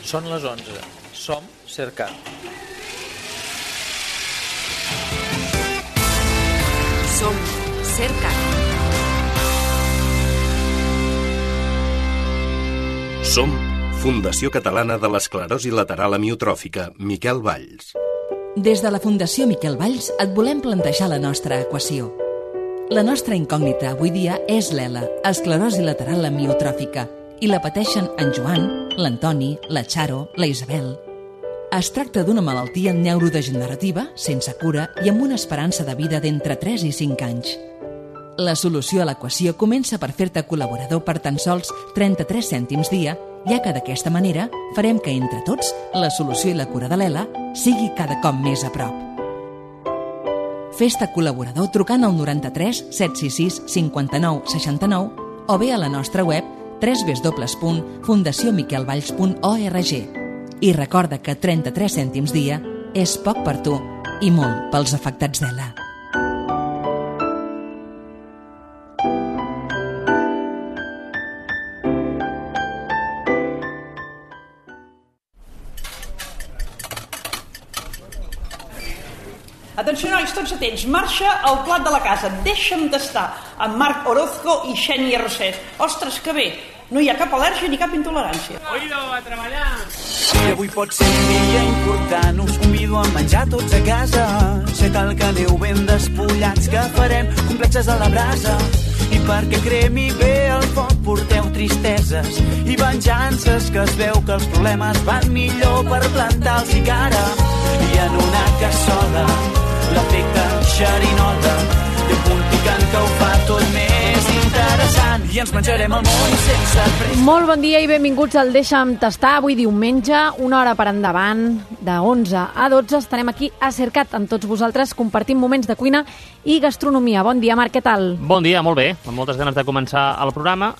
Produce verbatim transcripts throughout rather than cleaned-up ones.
Són les onze. Som Cercat. Som Cercat. Som Fundació Catalana de l'Esclerosi Lateral Amiotròfica, Miquel Valls. Des de la Fundació Miquel Valls et volem plantejar la nostra equació. La nostra incògnita avui dia és l'E L A, esclerosi lateral amiotròfica, i la pateixen en Joan, l'Antoni, la Charo, la Isabel. Es tracta d'una malaltia neurodegenerativa, sense cura i amb una esperança de vida d'entre tres i cinc anys. La solució a l'equació comença per fer-te col·laborador per tan sols trenta-tres cèntims dia, ja que d'aquesta manera farem que entre tots la solució i la cura de l'E L A sigui cada cop més a prop. Fes-te col·laborador trucant al noranta-tres set sis sis cinquanta-nou seixanta-nou o bé a la nostra web w w w punt fundació miquel valls punt org. I recorda que trenta-tres cèntims dia és poc per tu i molt pels afectats d'E L A. Atenció, nois, tots atents. Marxa al plat de la casa. Deixa'm tastar amb Marc Orozco i Xènia Rosset. Ostres, que bé. No hi ha cap al·lèrgia ni cap intolerància. Oído, a treballar. I avui pot ser un dia important. Us convido a menjar tots a casa. Sé cal que aneu ben despullats, que farem complexes a la brasa. I perquè cremi bé el foc porteu tristeses i venjances, que es veu que els problemes van millor per plantar-los i cara. I en una cassola l'efecte xerinota i un punt picant que ho fa tot més interessant, i ens menjarem el món sense pressa. Molt bon dia i benvinguts al Deixa'm tastar. Avui diumenge, una hora per endavant, de onze a dotze, estarem aquí a Cercat amb tots vosaltres, compartint moments de cuina i gastronomia. Bon dia, Marc, què tal? Bon dia, molt bé, amb moltes ganes de començar el programa,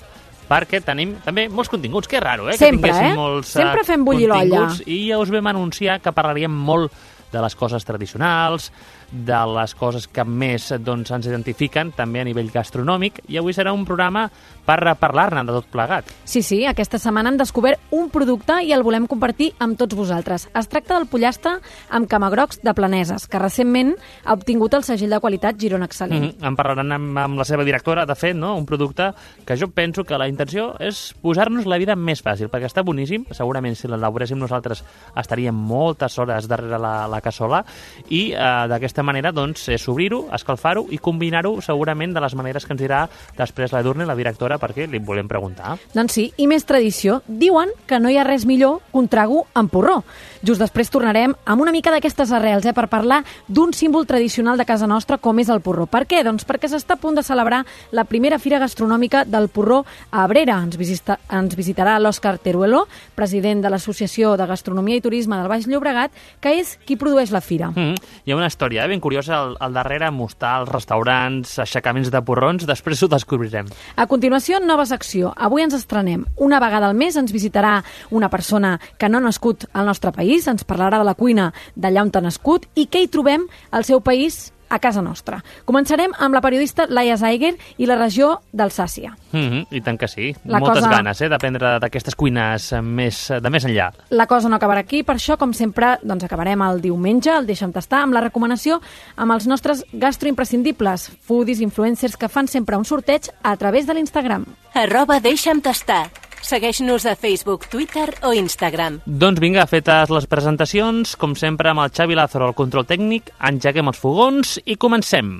perquè tenim també molts continguts. Que raro, eh? Sempre, que tinguéssim eh? molts Sempre fem bullir l'olla. I ja us vam anunciar que parlaríem molt de les coses tradicionals, de les coses que més doncs, ens identifiquen també a nivell gastronòmic, i avui serà un programa per parlar-ne de tot plegat. Sí, sí, aquesta setmana hem descobert un producte i el volem compartir amb tots vosaltres. Es tracta del pollastre amb camagrocs de Planeses, que recentment ha obtingut el segell de qualitat Girona Excel·lent. Mm-hmm. En parlaran amb, amb la seva directora, de fet, no? Un producte que jo penso que la intenció és posar-nos la vida més fàcil, perquè està boníssim. Segurament si l'elaboréssim nosaltres estaríem moltes hores darrere la, la cassola, i eh, d'aquesta manera doncs, és obrir-ho, escalfar-ho i combinar-ho segurament de les maneres que ens dirà després la Edurne, la directora, perquè li volem preguntar. Doncs sí, i més tradició. Diuen que no hi ha res millor que un trago amb porró. Just després tornarem amb una mica d'aquestes arrels, eh, per parlar d'un símbol tradicional de casa nostra com és el porró. Per què? Doncs perquè s'està a punt de celebrar la primera fira gastronòmica del porró a Abrera. Ens, visita, ens visitarà l'Òscar Teruelo, president de l'Associació de Gastronomia i Turisme del Baix Llobregat, que és qui produeix la fira. Mm-hmm. Hi ha una història eh, ben curiosa al, al darrere, mostrar els restaurants, aixecaments de porrons, després ho descobrirem. A continuació, nova secció. Avui ens estrenem. Una vegada al mes ens visitarà una persona que no ha nascut al nostre país, ens parlarà de la cuina d'allà on ha nascut i què hi trobem al seu país a casa nostra. Començarem amb la periodista Laia Zeiger i la regió d'Alsàcia. Mm-hmm, I tant que sí. La Moltes cosa... ganes eh, d'aprendre d'aquestes cuines més, de més enllà. La cosa no acabarà aquí, per això, com sempre, doncs acabarem el diumenge, el Deixa'm tastar, amb la recomanació amb els nostres gastroimprescindibles, foodies, influencers que fan sempre un sorteig a través de l'Instagram. Arroba Deixa'm tastar. Segueix-nos a Facebook, Twitter o Instagram. Doncs vinga, fetes les presentacions, com sempre amb el Xavi Lázaro al control tècnic, engeguem els fogons i comencem.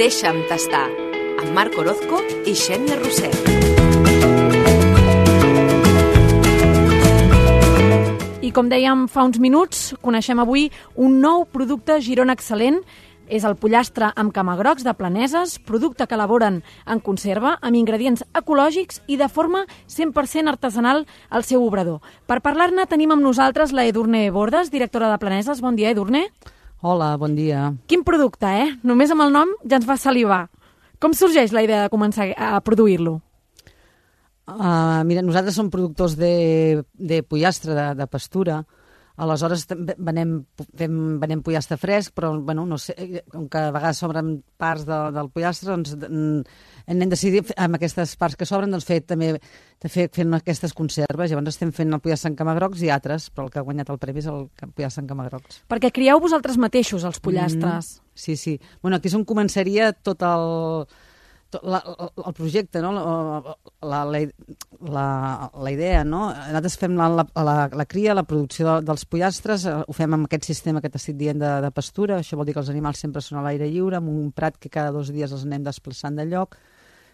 Deixa'm tastar, amb Marc Orozco i Xènia Rosset. I com dèiem fa uns minuts, coneixem avui un nou producte Girona Excel·lent. És el pollastre amb camagrocs de Planeses, producte que elaboren en conserva, amb ingredients ecològics i de forma cent per cent artesanal al seu obrador. Per parlar-ne tenim amb nosaltres la Edurne Bordes, directora de Planeses. Bon dia, Edurne. Hola, bon dia. Quin producte, eh? Només amb el nom ja ens fa salivar. Com sorgeix la idea de començar a produir-lo? Uh, mira, nosaltres som productors de, de pollastre de, de pastura. Aleshores venem, fem, venem pollastre fresc, però bueno, no sé, com que a vegades sobren parts de, del pollastre, doncs hem decidit amb aquestes parts que sobren doncs, fer també de fer, fent aquestes conserves. Llavors estem fent el pollastre en camagrocs i altres, però el que ha guanyat el premi és el pollastre en camagrocs. Perquè crieu vosaltres mateixos els pollastres. Mm, sí, sí. Bueno, aquí és on començaria tot el... La, el projecte, no? la, la, la, la idea, no? Nosaltres fem la, la, la, la cria, la producció de, dels pollastres, ho fem amb aquest sistema que t'estic dient de, de pastura, això vol dir que els animals sempre són a l'aire lliure, amb un prat que cada dos dies els anem desplaçant de lloc,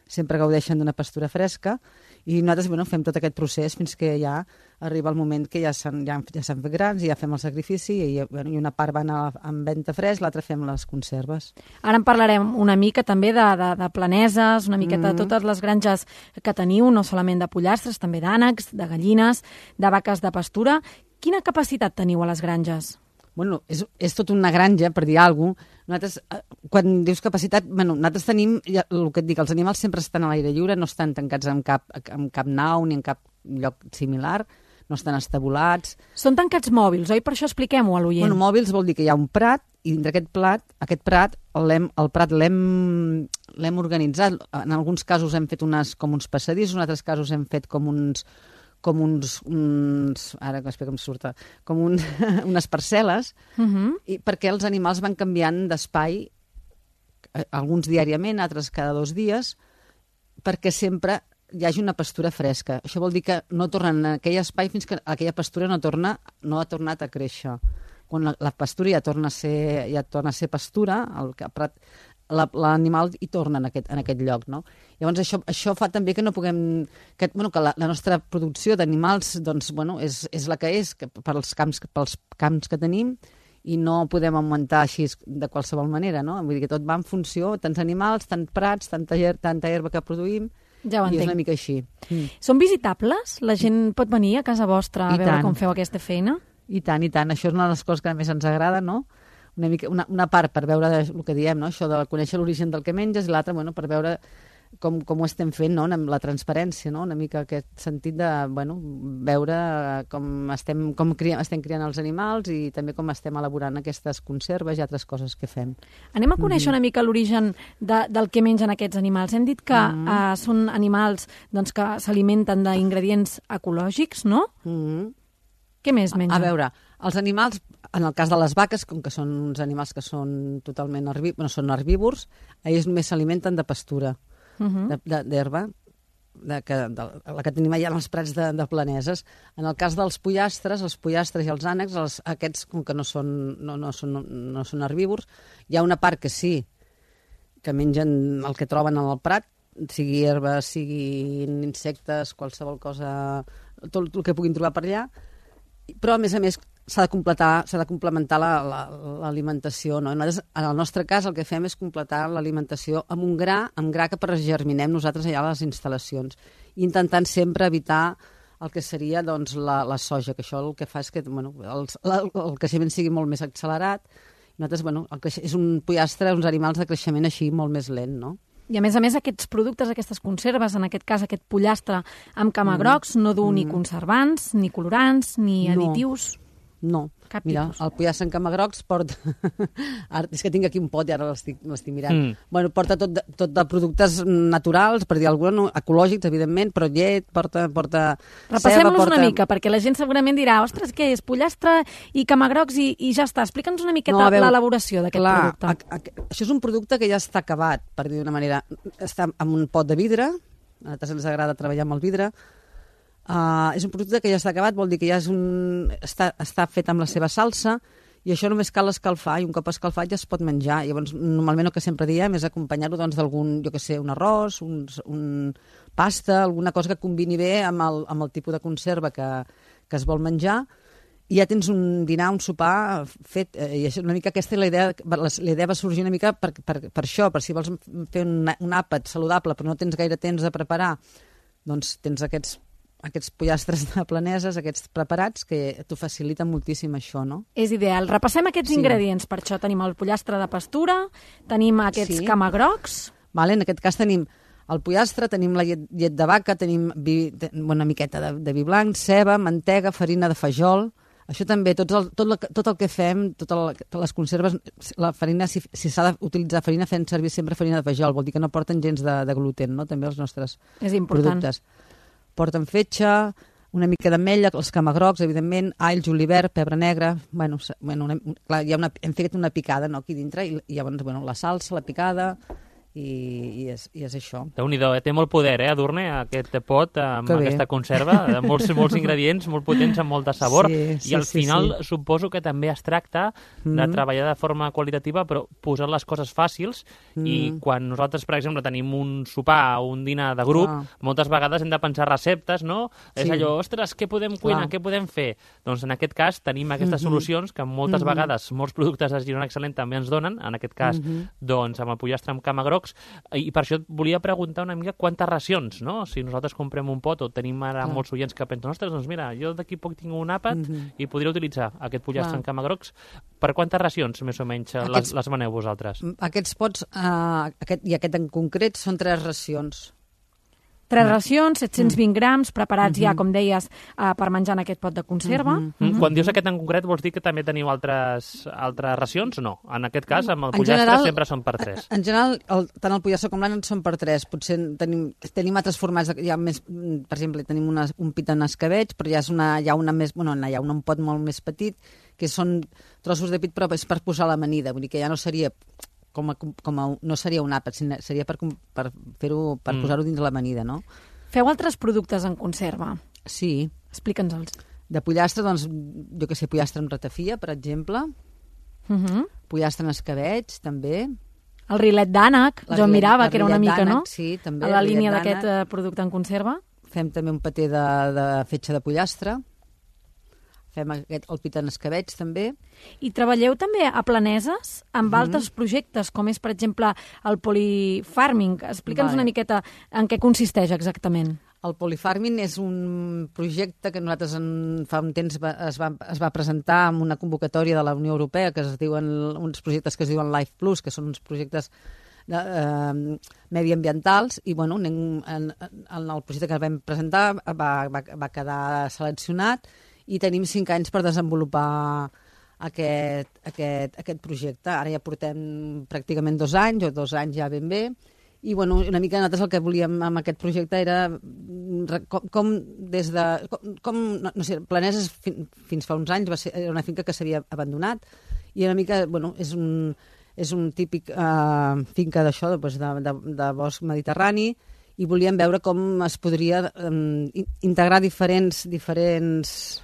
sempre gaudeixen d'una pastura fresca, i nosaltres bueno, fem tot aquest procés fins que ja arriba el moment que ja s'han ja, ja s'han fet grans i ja fem el sacrifici i, bueno, i una part va anar en venta fresc, l'altra fem les conserves. Ara en parlarem una mica també de, de, de planeses, una miqueta mm. de totes les granges que teniu, no solament de pollastres, també d'ànecs, de gallines, de vaques de pastura. Quina capacitat teniu a les granges? Bueno, és, és tot una granja, per dir alguna cosa. Nosaltres, quan dius capacitat, bueno, nosaltres tenim, ja, el que et dic, els animals sempre estan a l'aire lliure, no estan tancats en cap, en cap nau ni en cap lloc similar, no estan estabulats. Són tancats mòbils, oi? Per això expliquem-ho a l'oient. Bueno, mòbils vol dir que hi ha un prat, i dintre aquest plat, aquest prat, el, el prat l'hem l'hem organitzat. En alguns casos hem fet unes, com uns passadissos, en altres casos hem fet com uns com uns, uns ara que com surta, com un, unes parcel·les, uh-huh. i perquè els animals van canviant d'espai, alguns diàriament, altres cada dos dies, perquè sempre hi hagi una pastura fresca. Això vol dir que no tornen a aquell espai fins que aquella pastura no, torna, no ha tornat a créixer. Quan la, la pastura ja torna a ser, ja torna a ser pastura, el prat, l'animal hi torna en aquest, en aquest lloc, no? Llavors això, això fa també que no puguem... Que, bueno, que la, la nostra producció d'animals doncs, bueno, és, és la que és, que pels, camps, pels camps que tenim, i no podem augmentar així de qualsevol manera, no? Vull dir que tot va en funció, tants animals, tants prats, tanta, tanta herba que produïm, ja ho i entenc. és una mica així. Mm. Són visitables? La gent pot venir a casa vostra a I veure tant. com feu aquesta feina? I tant, i tant. Això és una de les coses que més ens agrada, no? Una, mica, una, una part per veure el que diem, no? Això de conèixer l'origen del que menges, i l'altra bueno, per veure com, com ho estem fent, no? Amb la transparència, no? Una mica aquest sentit de bueno, veure com, estem, com cria, estem criant els animals i també com estem elaborant aquestes conserves i altres coses que fem. Anem a conèixer mm-hmm. una mica l'origen de, del que mengen aquests animals. Hem dit que mm-hmm. uh, són animals doncs, que s'alimenten d'ingredients ecològics, no? Mm-hmm. Què més mengen? A veure, els animals, en el cas de les vaques, com que són uns animals que són totalment herbívors, bueno, són herbívors, ells només s'alimenten de pastura, uh-huh. d'herba, de, de, que, de, la que tenim allà als prats de, de planeses. En el cas dels pollastres, els pollastres i els ànecs, els, aquests, com que no són, no, no, són, no són herbívors, hi ha una part que sí, que mengen el que troben en el prat, sigui herba, siguin insectes, qualsevol cosa, tot el que puguin trobar per allà, però a més a més s'ha de completar, s'ha de complementar l'alimentació, no? Nosaltres, en el nostre cas el que fem és completar l'alimentació amb un gra, amb gra que germinem nosaltres allà a les instal·lacions, intentant sempre evitar el que seria doncs, la, la soja, que això el que fa és que bueno, el, el, el creixement sigui molt més accelerat. Nosaltres, bueno, el creix... és un pollastre, uns animals de creixement així molt més lent, no? I a més a més aquests productes, aquestes conserves, en aquest cas aquest pollastre amb camagrocs, mm. no du mm. ni conservants, ni colorants, ni additius... No. No, cap mira, tipus. El pollastre en camagrocs porta... Ara, és que tinc aquí un pot i ara l'estic mirant. Mm. Bueno, porta tot de, tot de productes naturals, per dir alguna, no, ecològics, evidentment, però llet, porta... porta Repassem-los porta... una mica, perquè la gent segurament dirà ostres, què és, pollastre i camagrocs i, i ja està. Explica'ns una miqueta no, l'elaboració d'aquest producte. A, a, això és un producte que ja està acabat, per dir d'una manera. Està en un pot de vidre, a nosaltres ens agrada treballar amb el vidre. Uh, és un producte que ja està acabat, vol dir que ja és un... està, està fet amb la seva salsa i això només cal escalfar i un cop escalfat ja es pot menjar. Llavors, normalment el que sempre diem és acompanyar-ho doncs, d'algun, jo què sé, un arròs, un, un pasta, alguna cosa que combini bé amb el, amb el tipus de conserva que, que es vol menjar i ja tens un dinar, un sopar fet. Eh, i això, una mica aquesta és la idea, la, la idea va sorgir una mica per, per, per això, per si vols fer un, un àpat saludable però no tens gaire temps de preparar, doncs tens aquests aquests pollastres de planeses, aquests preparats, que t'ho faciliten moltíssim això, no? És ideal. Repassem aquests sí. ingredients. Per això tenim el pollastre de pastura, tenim aquests sí. camagrocs... Vale, en aquest cas tenim el pollastre, tenim la llet, llet de vaca, tenim vi, una miqueta de, de vi blanc, ceba, mantega, farina de fajol, Això també, tot el, tot, la, tot el que fem, totes el, tot les conserves, la farina, si, si s'ha d'utilitzar farina, fem servir sempre farina de fajol, vol dir que no porten gens de, de gluten, no? També els nostres És important. productes. Porten fetge, una mica d'ametlla, els camagrocs, evidentment, all, julivert, pebre negre, bueno, bueno una, clar, hi ha una, hem fet una picada, no?, aquí dintre, i, i llavors, bueno, la salsa, la picada, i, i, és, i és això. Déu-n'hi-do, eh? Té molt poder, eh, Edurne, aquest pot amb Que bé. aquesta conserva, de molts, molts ingredients, molt potents, amb molt de sabor, Sí, sí, i al sí, final sí. suposo que també es tracta de Mm. treballar de forma qualitativa, però posar les coses fàcils, i Mm. quan nosaltres, per exemple, tenim un sopar o un dinar de grup, Clar. moltes vegades hem de pensar receptes, no? És Sí. allò, ostres, què podem cuinar, Clar. què podem fer? Doncs en aquest cas tenim aquestes Mhm. solucions que moltes Mhm. vegades molts productes de Girona Excel·lent també ens donen, en aquest cas, Mhm. doncs amb el pollastre amb camagrocs, i per això et volia preguntar una mica quantes racions, no? Si nosaltres comprem un pot o tenim ara Clar. molts oients que pensen, ostres, doncs mira, jo d'aquí poc tinc un àpat Mhm. i podria utilitzar aquest pollastre Clar. amb camagrocs. Per quantes racions, més o menys, les, Aquests- les maneu vosaltres? Aquests pots, uh, aquest, i aquest en concret, són tres racions. Tres racions, set-cents vint grams, preparats ja, Mhm. com deies, uh, per menjar en aquest pot de conserva. Mhm. Mm, Quan dius aquest en concret, vols dir que també teniu altres, altres racions o no? En aquest cas, amb el En pollastre general- sempre són per tres. En general, el, tant el pollastre com l'ànec són per tres. Potser tenim, tenim altres formats, de, ja més, mm, per exemple, tenim una, un pit en escabeig, però ja és una, hi ha una més, bueno, hi ha un pot molt més petit, que són trossos de pit, però és per posar l'amanida, vull dir que ja no seria com a, com a, no seria un àpat, sinó seria per, per fer-ho, per Mm. posar-ho dins l'amanida, no? Feu altres productes en conserva? Sí. Explica'ns-els. De pollastre, doncs, jo que sé, pollastre amb ratafia, per exemple, Uh -huh. pollastre en escabeig, també. El rilet d'ànec, La jo rillet- mirava la que era una rillet mica, no? d'ànec, sí, també, A la el rillet línia d'aquest d'ànec. eh, producte en conserva. Fem també un paté de, de fetge de pollastre. Fem aquest, el pit en escabeig, també. I treballeu també a Planeses amb Mhm. altres projectes, com és, per exemple, el polifarming. Explica'ns Vale. una miqueta en què consisteix exactament. El polifarming és un projecte que nosaltres en, fa un temps va, es, va, es va presentar amb una convocatòria de la Unió Europea, que es diuen uns projectes que es diuen Life Plus, que són uns projectes de, eh, mediambientals, i bueno, en, en, en el projecte que vam presentar va, va, va quedar seleccionat, i tenim cinc anys per desenvolupar aquest, aquest, aquest projecte. Ara ja portem pràcticament dos anys, o dos anys ja ben bé, i bueno, una mica nosaltres el que volíem amb aquest projecte era mm, com, com des de... Com, com no, no sé, Planeses fin, fins fa uns anys va ser, era una finca que s'havia abandonat, i una mica, bueno, és un, és un típic eh, finca d'això, doncs, de, de, de bosc mediterrani, i volíem veure com es podria eh, integrar diferents, diferents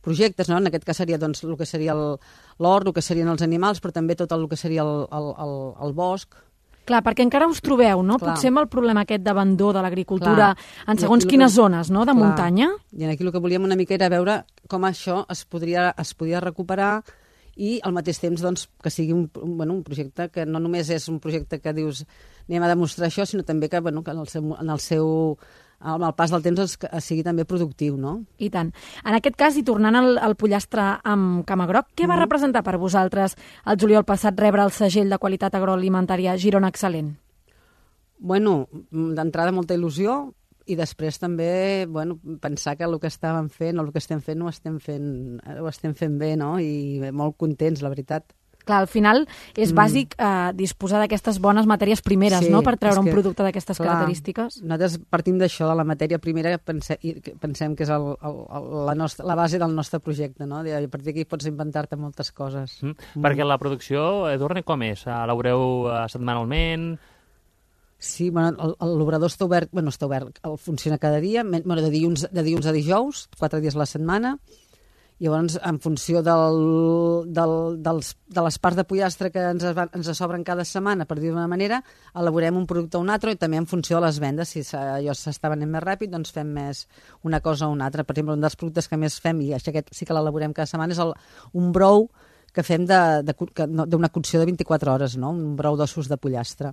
projectes, no? En aquest cas seria doncs, el que seria l'hort, el que serien els animals, però també tot el que seria el, el, el, el bosc. Clar, perquè encara us trobeu, no? Clar. Potser amb el problema aquest d'abandó de l'agricultura Clar. en I segons aquí el quines que- zones, no?, de Clar. muntanya. I aquí el que volíem una mica era veure com això es podria, es podia recuperar, i al mateix temps doncs, que sigui un, un, bueno, un projecte que no només és un projecte que dius anem a demostrar això, sinó també que, bueno, que en el seu, en el seu amb el pas del temps doncs, que sigui també productiu, no? I tant. En aquest cas, i tornant al, al pollastre amb camagroc, què va Mhm. representar per vosaltres el juliol passat rebre el segell de qualitat agroalimentària Girona Excel·lent? Bueno, d'entrada molta il·lusió, i després també, bueno, pensar que el que estàvem fent o el que estem fent ho estem fent, ho estem fent bé, no? I molt contents, la veritat. Clar, al final és Mm. bàsic eh, disposar d'aquestes bones matèries primeres, Sí, no?, per treure és un que, producte d'aquestes clar, característiques. Nosaltres partim d'això, de la matèria primera, que pensem, i que pensem que és el, el, el, la, nostra, la base del nostre projecte, no? I a partir d'aquí pots inventar-te moltes coses. Mm. Perquè la producció, Edurne, com és? Elaboreu uh, setmanalment? Sí, bueno, el- el- l'obrador està obert, bueno, està obert, el funciona cada dia, men- bueno, de, dilluns, de dilluns a dijous, quatre dies a la setmana. Llavors, en funció del, del, dels, de les parts de pollastre que ens, van, ens sobren cada setmana, per dir d'una manera, elaborem un producte o un altre, i també en funció de les vendes. Si s'ha- allò s'està venent més ràpid, doncs fem més una cosa o una altra. Per exemple, un dels productes que més fem, i això aquest sí que l'elaborem cada setmana, és el, un brou que fem de- de cu- que no- d'una cocció de vint-i-quatre hores, no? Un brou d'ossos de pollastre.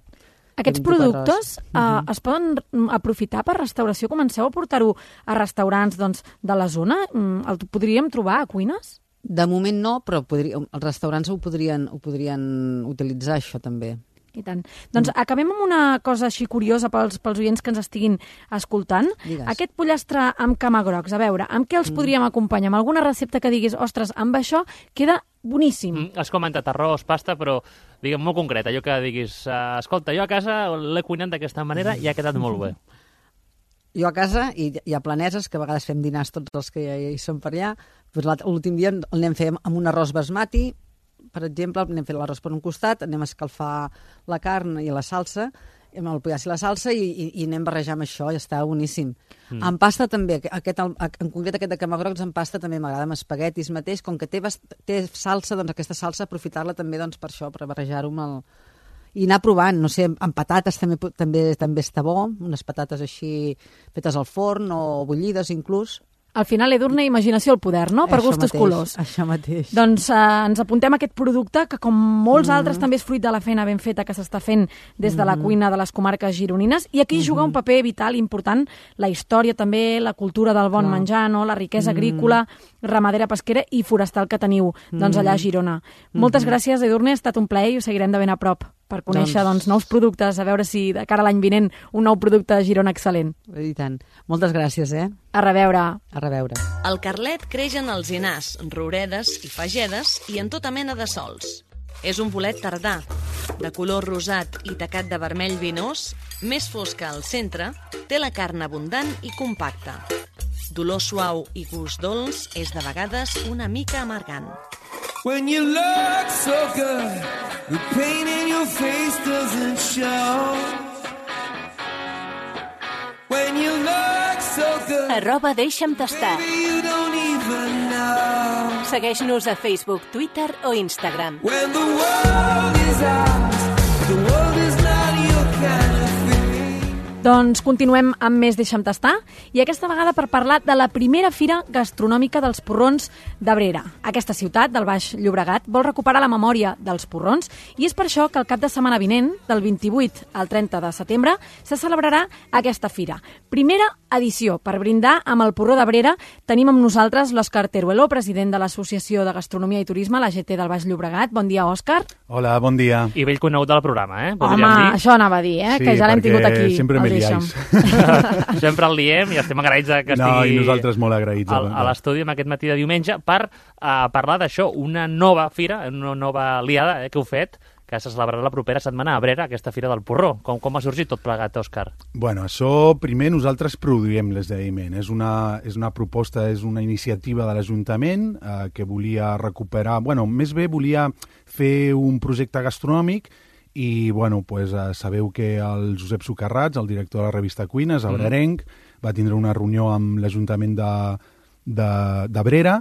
Aquests de vint-i-quatre productes hores. eh, Mhm. es poden mm, aprofitar per restauració? Comenceu a portar-ho a restaurants doncs, de la zona? Mm, El podríem trobar a cuines? De moment no, però podria, els restaurants ho podrien, ho podrien utilitzar, això també. I tant. Doncs mm. acabem amb una cosa així curiosa pels, pels oients que ens estiguin escoltant. Digues. Aquest pollastre amb camagrocs, a veure, amb què els mm. podríem acompanyar? Amb alguna recepta que diguis, ostres, amb això queda boníssim. Mm, has comentat arròs, pasta, però diguem molt concret, allò que diguis, uh, escolta, jo a casa l'he cuinat d'aquesta manera i ha quedat molt bé. Jo a casa, i hi ha planeses, que a vegades fem dinars tots els que hi són per allà, doncs l'últim dia l'anem fent amb un arròs basmati, per exemple, anem fent l'arròs per un costat, anem a escalfar la carn i la salsa, amb el pollastre i la salsa, i, i, i anem barrejar amb això, i està boníssim. Mm. En pasta també, aquest, en concret aquest de camagrocs en pasta també m'agrada, amb espaguetis mateix, com que té, té salsa, doncs aquesta salsa aprofitar-la també doncs, per això, per barrejar-ho amb el... I anar provant, no sé, amb patates també, també, també està bo, unes patates així fetes al forn o bullides inclús. Al final, Edurne, imaginació al poder, no? Per això gustos mateix, colors. Això mateix. Doncs eh, ens apuntem a aquest producte que, com molts mm-hmm. altres, també és fruit de la feina ben feta que s'està fent des de la mm-hmm. cuina de les comarques gironines. I aquí mm-hmm. juga un paper vital important la història també, la cultura del bon Clar. menjar, no? La riquesa mm-hmm. agrícola, ramadera, pesquera i forestal que teniu doncs, allà a Girona. Mm-hmm. Moltes gràcies, Edurne, ha estat un plaer i ho seguirem de ben a prop per conèixer doncs... doncs, nous productes, a veure si de cara a l'any vinent un nou producte a Girona excel·lent. I tant. Moltes gràcies, eh? A reveure. A reveure. El carlet creix en alzinars, rouredes i fagedes i en tota mena de sols. És un bolet tardà, de color rosat i tacat de vermell vinós, més fosca al centre, té la carn abundant i compacta. D'olor suau i gust dolç, és de vegades una mica amargant. When you look so good, the pain in your face doesn't show. When you look so good, arroba deixa'm tastar. baby, you don't even know. Segueix-nos a Facebook, Twitter o Instagram. When the world is ours, the world is not your kind of thing. Doncs continuem amb més Deixa'm tastar, i aquesta vegada per parlar de la primera fira gastronòmica dels porrons d'Abrera. Aquesta ciutat, del Baix Llobregat, vol recuperar la memòria dels porrons, i és per això que el cap de setmana vinent, del vint-i-vuit al trenta de setembre, se celebrarà aquesta fira. Primera edició. Per brindar amb el porró d'Abrera tenim amb nosaltres l'Òscar Teruelo, president de l'Associació de Gastronomia i Turisme, la G T del Baix Llobregat. Bon dia, Òscar. Hola, bon dia. I vell conegut del programa, eh? Home, dir. això anava a dir, eh? Sí, que ja l'hem tingut aquí. Sempre me liais. Sempre el diem i estem agraïts que estigui no, i nosaltres molt agraïts a, a l'estudi amb aquest matí de diumenge per uh, parlar d'això, una nova fira, una nova aliada eh, que heu fet, que se celebrarà la propera setmana a Abrera, aquesta fira del porró. Com, com ha sorgit tot plegat, Òscar? Bueno, això primer nosaltres produïm l'esdeveniment. És una, és una proposta, és una iniciativa de l'Ajuntament eh, que volia recuperar... Bueno, més bé volia fer un projecte gastronòmic i, bueno, pues, eh, sabeu que el Josep Socarrats, el director de la revista Cuines, abrerenc, mm. va tindre una reunió amb l'Ajuntament de d'Abrera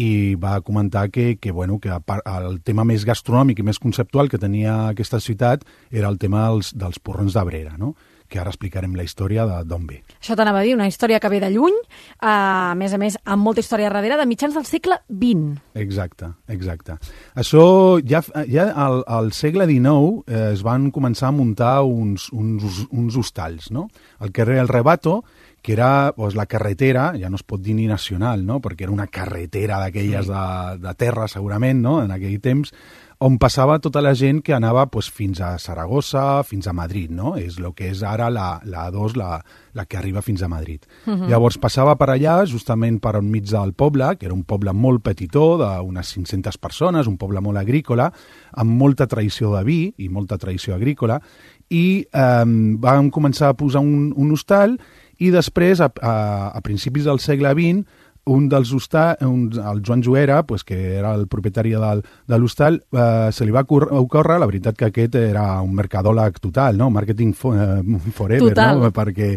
i va comentar que, que, bueno, que el tema més gastronòmic i més conceptual que tenia aquesta ciutat era el tema dels, dels porrons d'Abrera, no? Que ara explicarem la història d'on ve. Això t'anava a dir, una història que ve de lluny, a més a més amb molta història darrere, de mitjans del segle vint. Exacte, exacte. Això ja, ja al, al segle dinou eh, es van començar a muntar uns, uns, uns hostalls, no? El carrer El Rebato, que era pues, la carretera, ja no es pot dir ni nacional, no? Perquè era una carretera d'aquelles sí. de, de terra, segurament, no? En aquell temps, on passava tota la gent que anava pues, fins a Saragossa, fins a Madrid, no? És el que és ara la, la A dos, la, la que arriba fins a Madrid. Uh-huh. Llavors passava per allà, justament per enmig del poble, que era un poble molt petitó, d'unes cinc-centes persones, un poble molt agrícola, amb molta tradició de vi i molta tradició agrícola, i eh, van començar a posar un, un hostal, i després, a, a, a principis del segle vint, un dels hostals, el Joan Joera, pues, que era el propietari del, de l'hostal, eh, se li va ocórrer, la veritat que aquest era un mercadòleg total, no? Marketing for, eh, forever, total. No? Perquè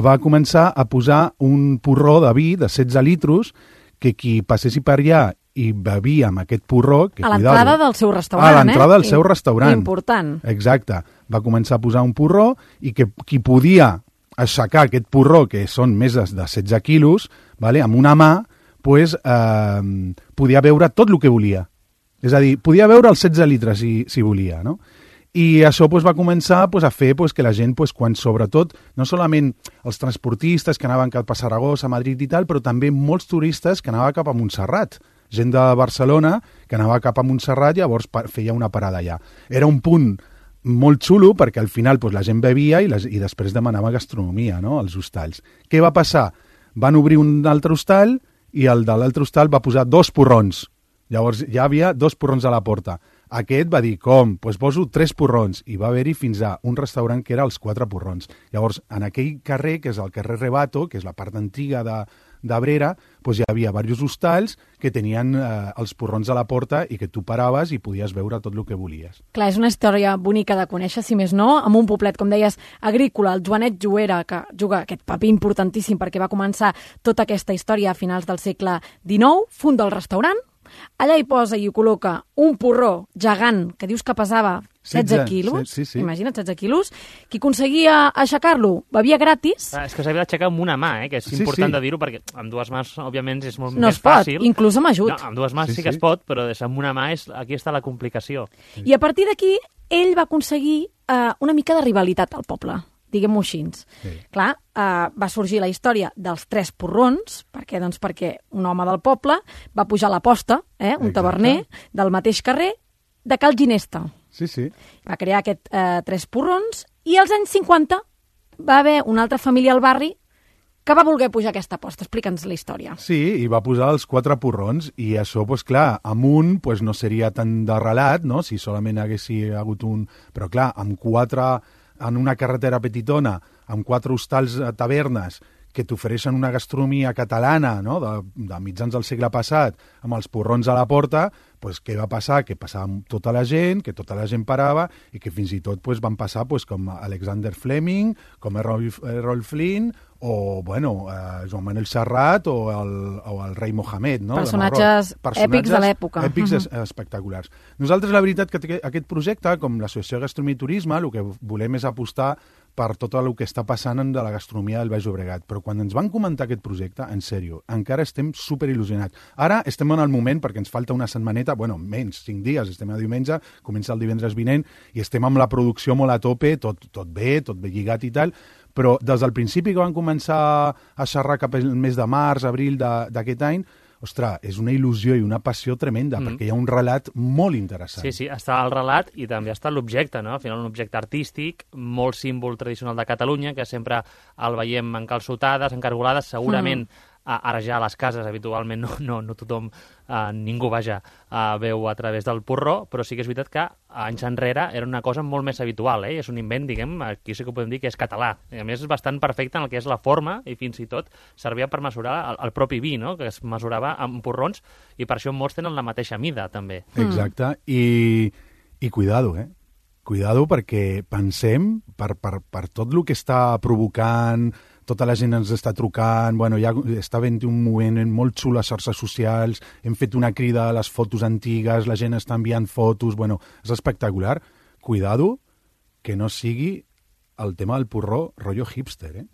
va començar a posar un porró de vi de setze litros que qui passessi per allà i bevia amb aquest porró... Que, a l'entrada cuidado, del seu restaurant, eh? A l'entrada del I, seu restaurant. Important. Exacte. Va començar a posar un porró i que qui podia aixecar aquest porró, que són més de, de setze quilos, vale, amb una mà, pues, eh, podia beure tot el que volia. És a dir, podia beure els setze litres si, si volia, no? I això pues, va començar pues, a fer pues, que la gent, pues, quan sobretot, no solament els transportistes que anaven cap a Saragossa, a Madrid i tal, però també molts turistes que anaven cap a Montserrat. Gent de Barcelona que anava cap a Montserrat, llavors feia una parada allà. Era un punt molt xulo perquè al final pues, la gent bevia i, les, i després demanava gastronomia, no?, als hostalls. Què va passar? Van obrir un altre hostal i el de l'altre hostal va posar dos porrons. Llavors ja havia dos porrons a la porta. Aquest va dir, com? Doncs pues poso tres porrons. I va haver-hi fins a un restaurant que era els quatre porrons. Llavors, en aquell carrer, que és el carrer Rebato, que és la part antiga de, d'Abrera, pues hi havia diversos hostals que tenien eh, els porrons a la porta i que tu paraves i podies veure tot el que volies. Clar, és una història bonica de conèixer, si més no, amb un poblet, com deies, agrícola, el Joanet Juera, que juga aquest paper importantíssim perquè va començar tota aquesta història a finals del segle dinou, funda el restaurant, allà hi posa i hi col·loca un porró gegant que dius que pesava setze quilos, sí, sí. Imagina't, setze quilos, qui aconseguia aixecar-lo bevia gratis. Ah, és que s'havia d'aixecar amb una mà, eh? Que és Sí, important sí. de dir-ho, perquè amb dues mans, òbviament, és molt No més es pot, fàcil. inclús amb ajut. No, amb dues mans Sí, sí, sí que sí. es pot, però amb una mà és, aquí està la complicació. I a partir d'aquí, ell va aconseguir eh, una mica de rivalitat al poble, diguem-ho així. Sí. Clar, eh, va sorgir la història dels tres porrons, perquè, doncs, perquè un home del poble va pujar a la posta, eh, un Exacte. taverner del mateix carrer, de Cal Ginesta. Sí, sí. Va crear aquest eh, tres porrons i als anys cinquanta va haver una altra família al barri que va voler pujar aquesta posta. Explica'ns la història. Sí, i va posar els quatre porrons i això, pues, clar, amb un pues, no seria tan de relat, no?, si solament hagués hagut un... Però clar, amb quatre, en una carretera petitona, amb quatre hostals a tavernes que t'ofereixen una gastronomia catalana, no?, de, de mitjans del segle passat, amb els porrons a la porta, pues, què va passar? Que passava amb tota la gent, que tota la gent parava i que fins i tot pues, van passar pues, com Alexander Fleming, com Errol, Errol Flynn o bueno, eh, Joan Manuel Serrat o el, o el rei Mohamed. No? Personatges èpics de l'època. Èpics Uh-huh. es- espectaculars. Nosaltres, la veritat, que aquest projecte, com l'Associació de Gastronomia i Turisme, el que volem és apostar per tot el que està passant de la gastronomia del Baix Llobregat. Però quan ens van comentar aquest projecte, en sèrio, encara estem superil·lusionats. Ara estem en el moment, perquè ens falta una setmaneta, bueno, menys, cinc dies, estem a diumenge, comença el divendres vinent, i estem amb la producció molt a tope, tot, tot bé, tot bé lligat i tal, però des del principi que van començar a xerrar cap al mes de març, abril de- d'aquest any, ostres, és una il·lusió i una passió tremenda, Mm. perquè hi ha un relat molt interessant. Sí, sí, està el relat i també està l'objecte, no? Al final un objecte artístic, molt símbol tradicional de Catalunya, que sempre el veiem en calçotades, en cargolades, segurament Mm. a- ara ja a les cases habitualment no, no, no tothom, eh, ningú, vaja, eh, veu a través del porró, però sí que és veritat que anys enrere era una cosa molt més habitual, eh? És un invent, diguem, aquí sí que ho podem dir que és català. I a més és bastant perfecte en el que és la forma i fins i tot servia per mesurar el, el propi vi, no? Que es mesurava amb porrons i per això molts tenen la mateixa mida, també. Exacte, I, i cuidado, eh? Cuidado perquè pensem, per, per, per tot el que està provocant, tota la gent ens està trucant, bueno, ja està havent un moviment molt xulo a xarxes socials, hem fet una crida a les fotos antigues, la gent està enviant fotos, bueno, és espectacular. Cuidado que no sigui el tema del porró rotllo hipster, eh?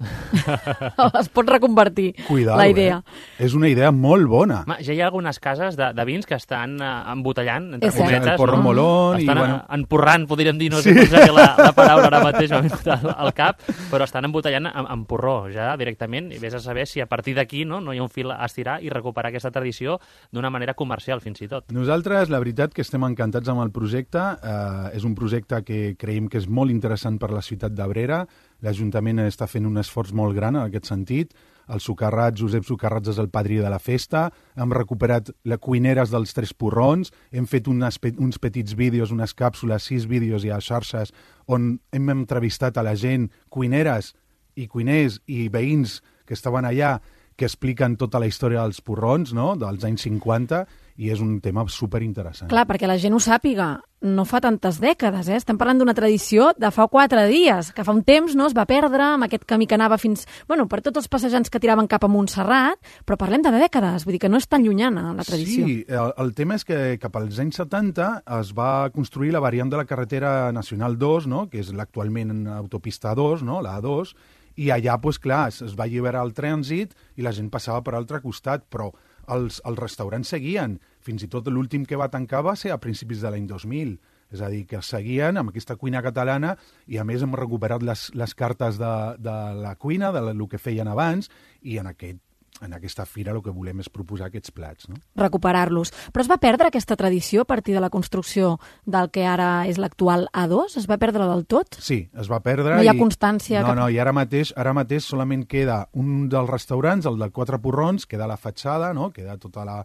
Es pot reconvertir Cuidado, la idea. Eh? És una idea molt bona. Ma, ja hi ha algunes cases de, de vins que estan uh, embotellant, entre És cert. cometes, El porró no? molón i, estan bueno... bueno... empurrant, podríem dir, no sé Sí. com seria la, la paraula ara mateix, m'ha vingut al, al cap, però estan embotellant amb, amb porró, ja directament, i vés a saber si a partir d'aquí no, no hi ha un fil a estirar i recuperar aquesta tradició d'una manera comercial, fins i tot. Nosaltres, la veritat, que estem encantats amb el projecte. Eh, és un projecte que creiem que és molt interessant per la ciutat d'Abrera. L'Ajuntament està fent un esforç molt gran en aquest sentit. El Socarrats, Josep Socarrats, és el padrí de la festa. Hem recuperat les cuineres dels Tres Porrons. Hem fet unes, pe- uns petits vídeos, unes càpsules, sis vídeos i a xarxes, on hem entrevistat a la gent, cuineres i cuiners i veïns que estaven allà, que expliquen tota la història dels porrons, no?, dels anys cinquanta, i és un tema superinteressant. Clar, perquè la gent ho sàpiga, no fa tantes dècades, eh? Estem parlant d'una tradició de fa quatre dies, que fa un temps no es va perdre amb aquest camí que anava fins... Bueno, per tots els passejants que tiraven cap a Montserrat, però parlem de dècades, vull dir que no és tan llunyana la tradició. Sí, el, el tema és que cap als anys setanta es va construir la variant de la carretera Nacional dos, no?, que és l'actualment autopista dos, no?, la A dos, i allà, pues, clar, es, es va alliberar el trànsit i la gent passava per l'altre costat, però els, els restaurants seguien. Fins i tot l'últim que va tancar va ser a principis de l'any dos mil. És a dir, que seguien amb aquesta cuina catalana i, a més, hem recuperat les, les cartes de, de la cuina, de lo que feien abans, i en aquest en aquesta fira el que volem és proposar aquests plats, no? Recuperar-los. Però es va perdre aquesta tradició a partir de la construcció del que ara és l'actual A dos? Es va perdre del tot? Sí, es va perdre. No hi ha i... constància? No, cap... no, i ara mateix, ara mateix solament queda un dels restaurants, el de Quatre Porrons, queda la fatxada, no? Queda tota la...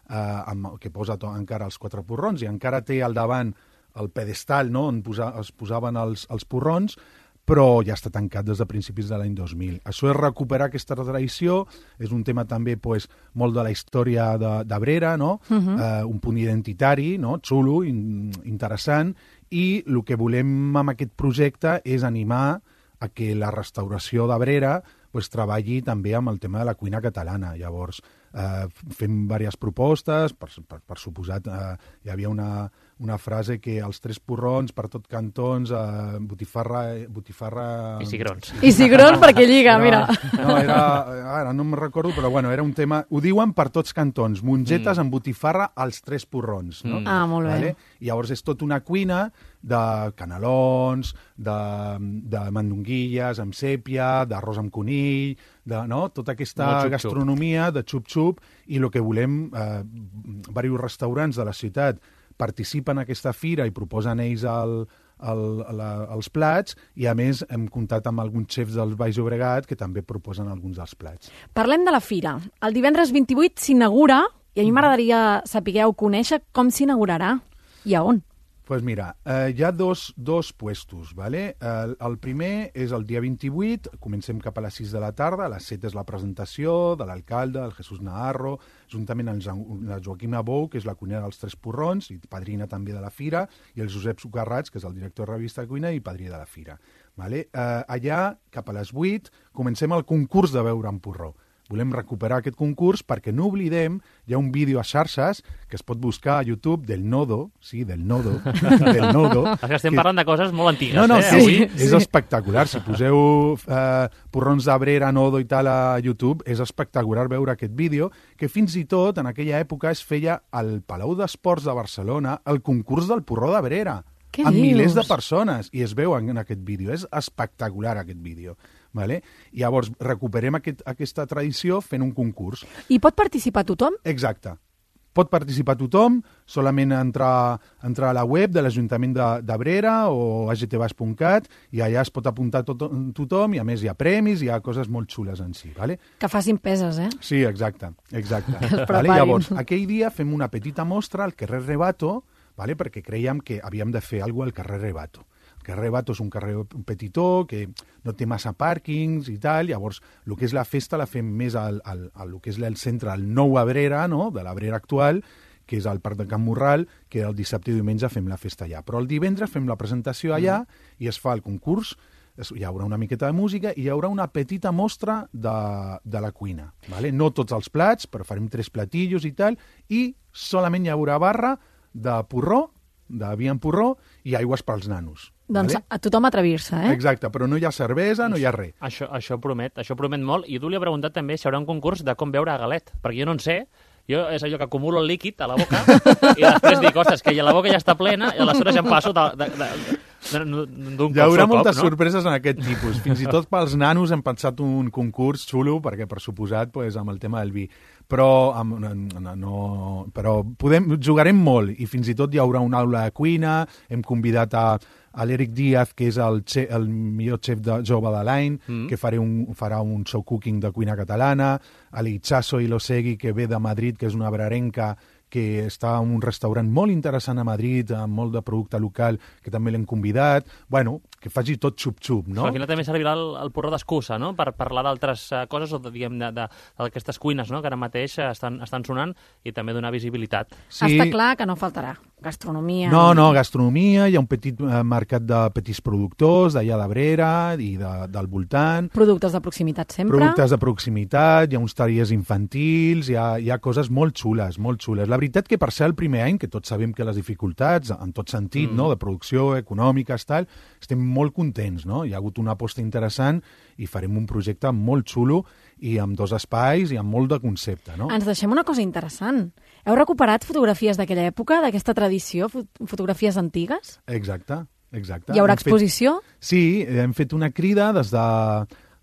Eh, amb, que posa to, encara els Quatre Porrons, i encara té al davant el pedestal, no?, on posa, es posaven els, els porrons, però ja està tancat des de principis de l'any dos mil. Això és recuperar aquesta tradició, és un tema també pues, molt de la història d'Abrera, no? Uh-huh. eh, un punt identitari, no? Xulo, in, interessant, i el que volem amb aquest projecte és animar a que la restauració d'Abrera pues, treballi també amb el tema de la cuina catalana. Llavors, eh, fem diverses propostes, per, per, per suposat, eh, hi havia una, una frase que els tres porrons per tot cantons, eh, botifarra... botifarra I cigrons. I cigrons perquè lliga, era, mira. No, era, ara no me'n recordo, però bueno, era un tema... Ho diuen per tots cantons, mongetes mm. amb botifarra als tres porrons. No? Mm. Ah, molt bé. Vale? I llavors és tot una cuina de canelons, de, de mandonguilles amb sèpia, d'arròs amb conill, de, no? Tota aquesta xup-xup. gastronomia de xup-xup, i el que volem, eh, diversos restaurants de la ciutat participen en aquesta fira i proposen ells el, el, la, els plats, i a més hem comptat amb alguns xefs del Baix Llobregat que també proposen alguns dels plats. Parlem de la fira. El divendres vint-i-vuit s'inaugura, i a mi m'agradaria saber o conèixer com s'inaugurarà i a on. Pues mira, eh, hi ha dos, dos puestos, ¿vale? El, el primer és el dia vint-i-vuit, comencem cap a les sis de la tarda, a les set és la presentació de l'alcalde, el Jesús Naharro, juntament amb la Joaquima Bou, que és la cuinera dels Tres Porrons, i padrina també de la fira, i el Josep Socarrats, que és el director de revista de cuina i padrí de la fira. Vale? Eh, allà, cap a les vuit, comencem el concurs de beure amb porró. Volem recuperar aquest concurs perquè no oblidem, hi ha un vídeo a xarxes que es pot buscar a YouTube del Nodo, sí, del Nodo, del Nodo. Que estem que... parlant de coses molt antigues, no, no, eh? Sí, Avui... és sí. espectacular. Si poseu eh, porrons d'Abrera, Nodo i tal a YouTube, és espectacular veure aquest vídeo, que fins i tot en aquella època es feia al Palau d'Esports de Barcelona el concurs del porró d'Abrera. Què amb dius? Milers de persones, i es veu en aquest vídeo. És espectacular aquest vídeo. Vale? I llavors recuperem aquest, aquesta tradició fent un concurs. I pot participar tothom? Exacte. Pot participar tothom, solament entrar, entrar a la web de l'Ajuntament d'Abrera o a g t bas punt cat, i allà es pot apuntar tot, tothom, i a més hi ha premis, hi ha coses molt xules en si. Vale? Que facin peses, eh? Sí, exacte. exacte. Que es vale? Llavors, aquell dia fem una petita mostra al carrer Rebato, vale? Perquè creiem que havíem de fer alguna cosa al carrer Rebato. El carrer Bato és un carrer petitó, que no té massa pàrquings i tal, llavors el que és la festa la fem més al, al, al que és el centre, al nou Abrera, no? De l'Abrera actual, que és al Parc de Can Morral, que el dissabte i diumenge fem la festa allà. Però el divendres fem la presentació allà i es fa el concurs, hi haurà una miqueta de música i hi haurà una petita mostra de, de la cuina. Vale? No tots els plats, però farem tres platillos i tal, i solament hi haurà barra de porró, de vi en porró i aigües pels nanos. Doncs vale? a tothom atrevir-se, eh? Exacte, però no hi ha cervesa, no hi ha res. Això, això promet, això promet molt. I tu li he preguntat també si hi haurà un concurs de com beure a galet, perquè jo no en sé. Jo és allò que acumulo el líquid a la boca i després dic, ostres, que la boca ja està plena i aleshores ja em passo de, de, de, d'un Hi haurà cop, moltes no? sorpreses en aquest tipus. Fins i tot pels nanos hem pensat un concurs xulo, perquè per suposat pues, amb el tema del vi. Però, amb, no, no, però podem, jugarem molt i fins i tot hi haurà una aula de cuina, hem convidat a, a l'Eric Díaz, que és el, xe, el millor xef de, jove de l'any, mm. que faré un, farà un show cooking de cuina catalana, a l'Itxaso Ilosegui, que ve de Madrid, que és una brarenca, que està en un restaurant molt interessant a Madrid, amb molt de producte local, que també l'hem convidat. Bueno, que faci tot xup-xup, no? Al final també servirà el, el porró d'excusa, no?, per parlar d'altres uh, coses o, diguem, d'aquestes cuines, no?, que ara mateix estan, estan sonant, i també donar visibilitat. Sí. Està clar que no faltarà gastronomia. No, no, gastronomia, hi ha un petit eh, mercat de petits productors, d'allà d'Abrera i de, del voltant. Productes de proximitat sempre. Productes de proximitat, hi ha uns tallers infantils, hi ha, hi ha coses molt xules, molt xules. La veritat que per ser el primer any, que tots sabem que les dificultats, en tot sentit, mm. no?, de producció, econòmiques, tal, estem molt contents, no? Hi ha hagut una aposta interessant i farem un projecte molt xulo i amb dos espais i amb molt de concepte, no? Ens deixem una cosa interessant. Heu recuperat fotografies d'aquella època, d'aquesta tradició, fotografies antigues? Exacte, exacte. Hi haurà hem exposició? Fet, sí, hem fet una crida des, de,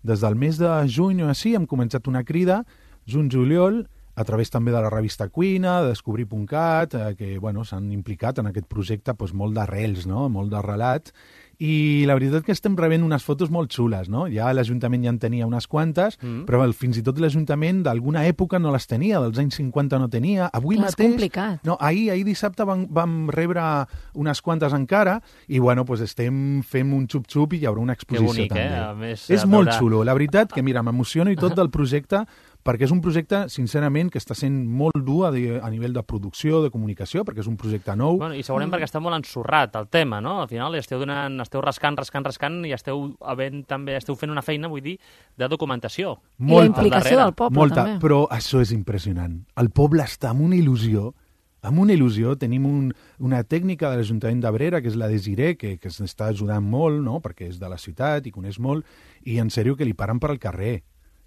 des del mes de juny o així, hem començat una crida juny juliol, a través també de la revista Cuina, de Descobrir punt cat, eh, que bueno, s'han implicat en aquest projecte doncs, molt d'arrels, no? Molt de relat, i la veritat que estem rebent unes fotos molt xules, no? Ja l'Ajuntament ja en tenia unes quantes, mm. però el, fins i tot l'Ajuntament d'alguna època no les tenia, dels anys cinquanta no tenia. Avui Clar, mateix... És complicat. No, ahir, ahir dissabte vam, vam rebre unes quantes encara i, bueno, pues estem fent un xup-xup i hi haurà una exposició que bonic, també. Eh? A més, és a molt veure... xulo. La veritat que, mira, m'emociono i tot del projecte perquè és un projecte, sincerament, que està sent molt dur a, de, a nivell de producció, de comunicació, perquè és un projecte nou. Bueno, I segurament mm. perquè està molt ensorrat el tema, no? Al final esteu, donant, esteu rascant, rascant, rascant i esteu, havent, també, esteu fent una feina, vull dir, de documentació. Molta. I la implicació del poble, Molta, també. Però això és impressionant. El poble està amb una il·lusió, amb una il·lusió. Tenim un, una tècnica de l'Ajuntament d'Abrera, que és la Desiré, que, que s'està ajudant molt, no? Perquè és de la ciutat i coneix molt, i en sèrio que li paren per al carrer.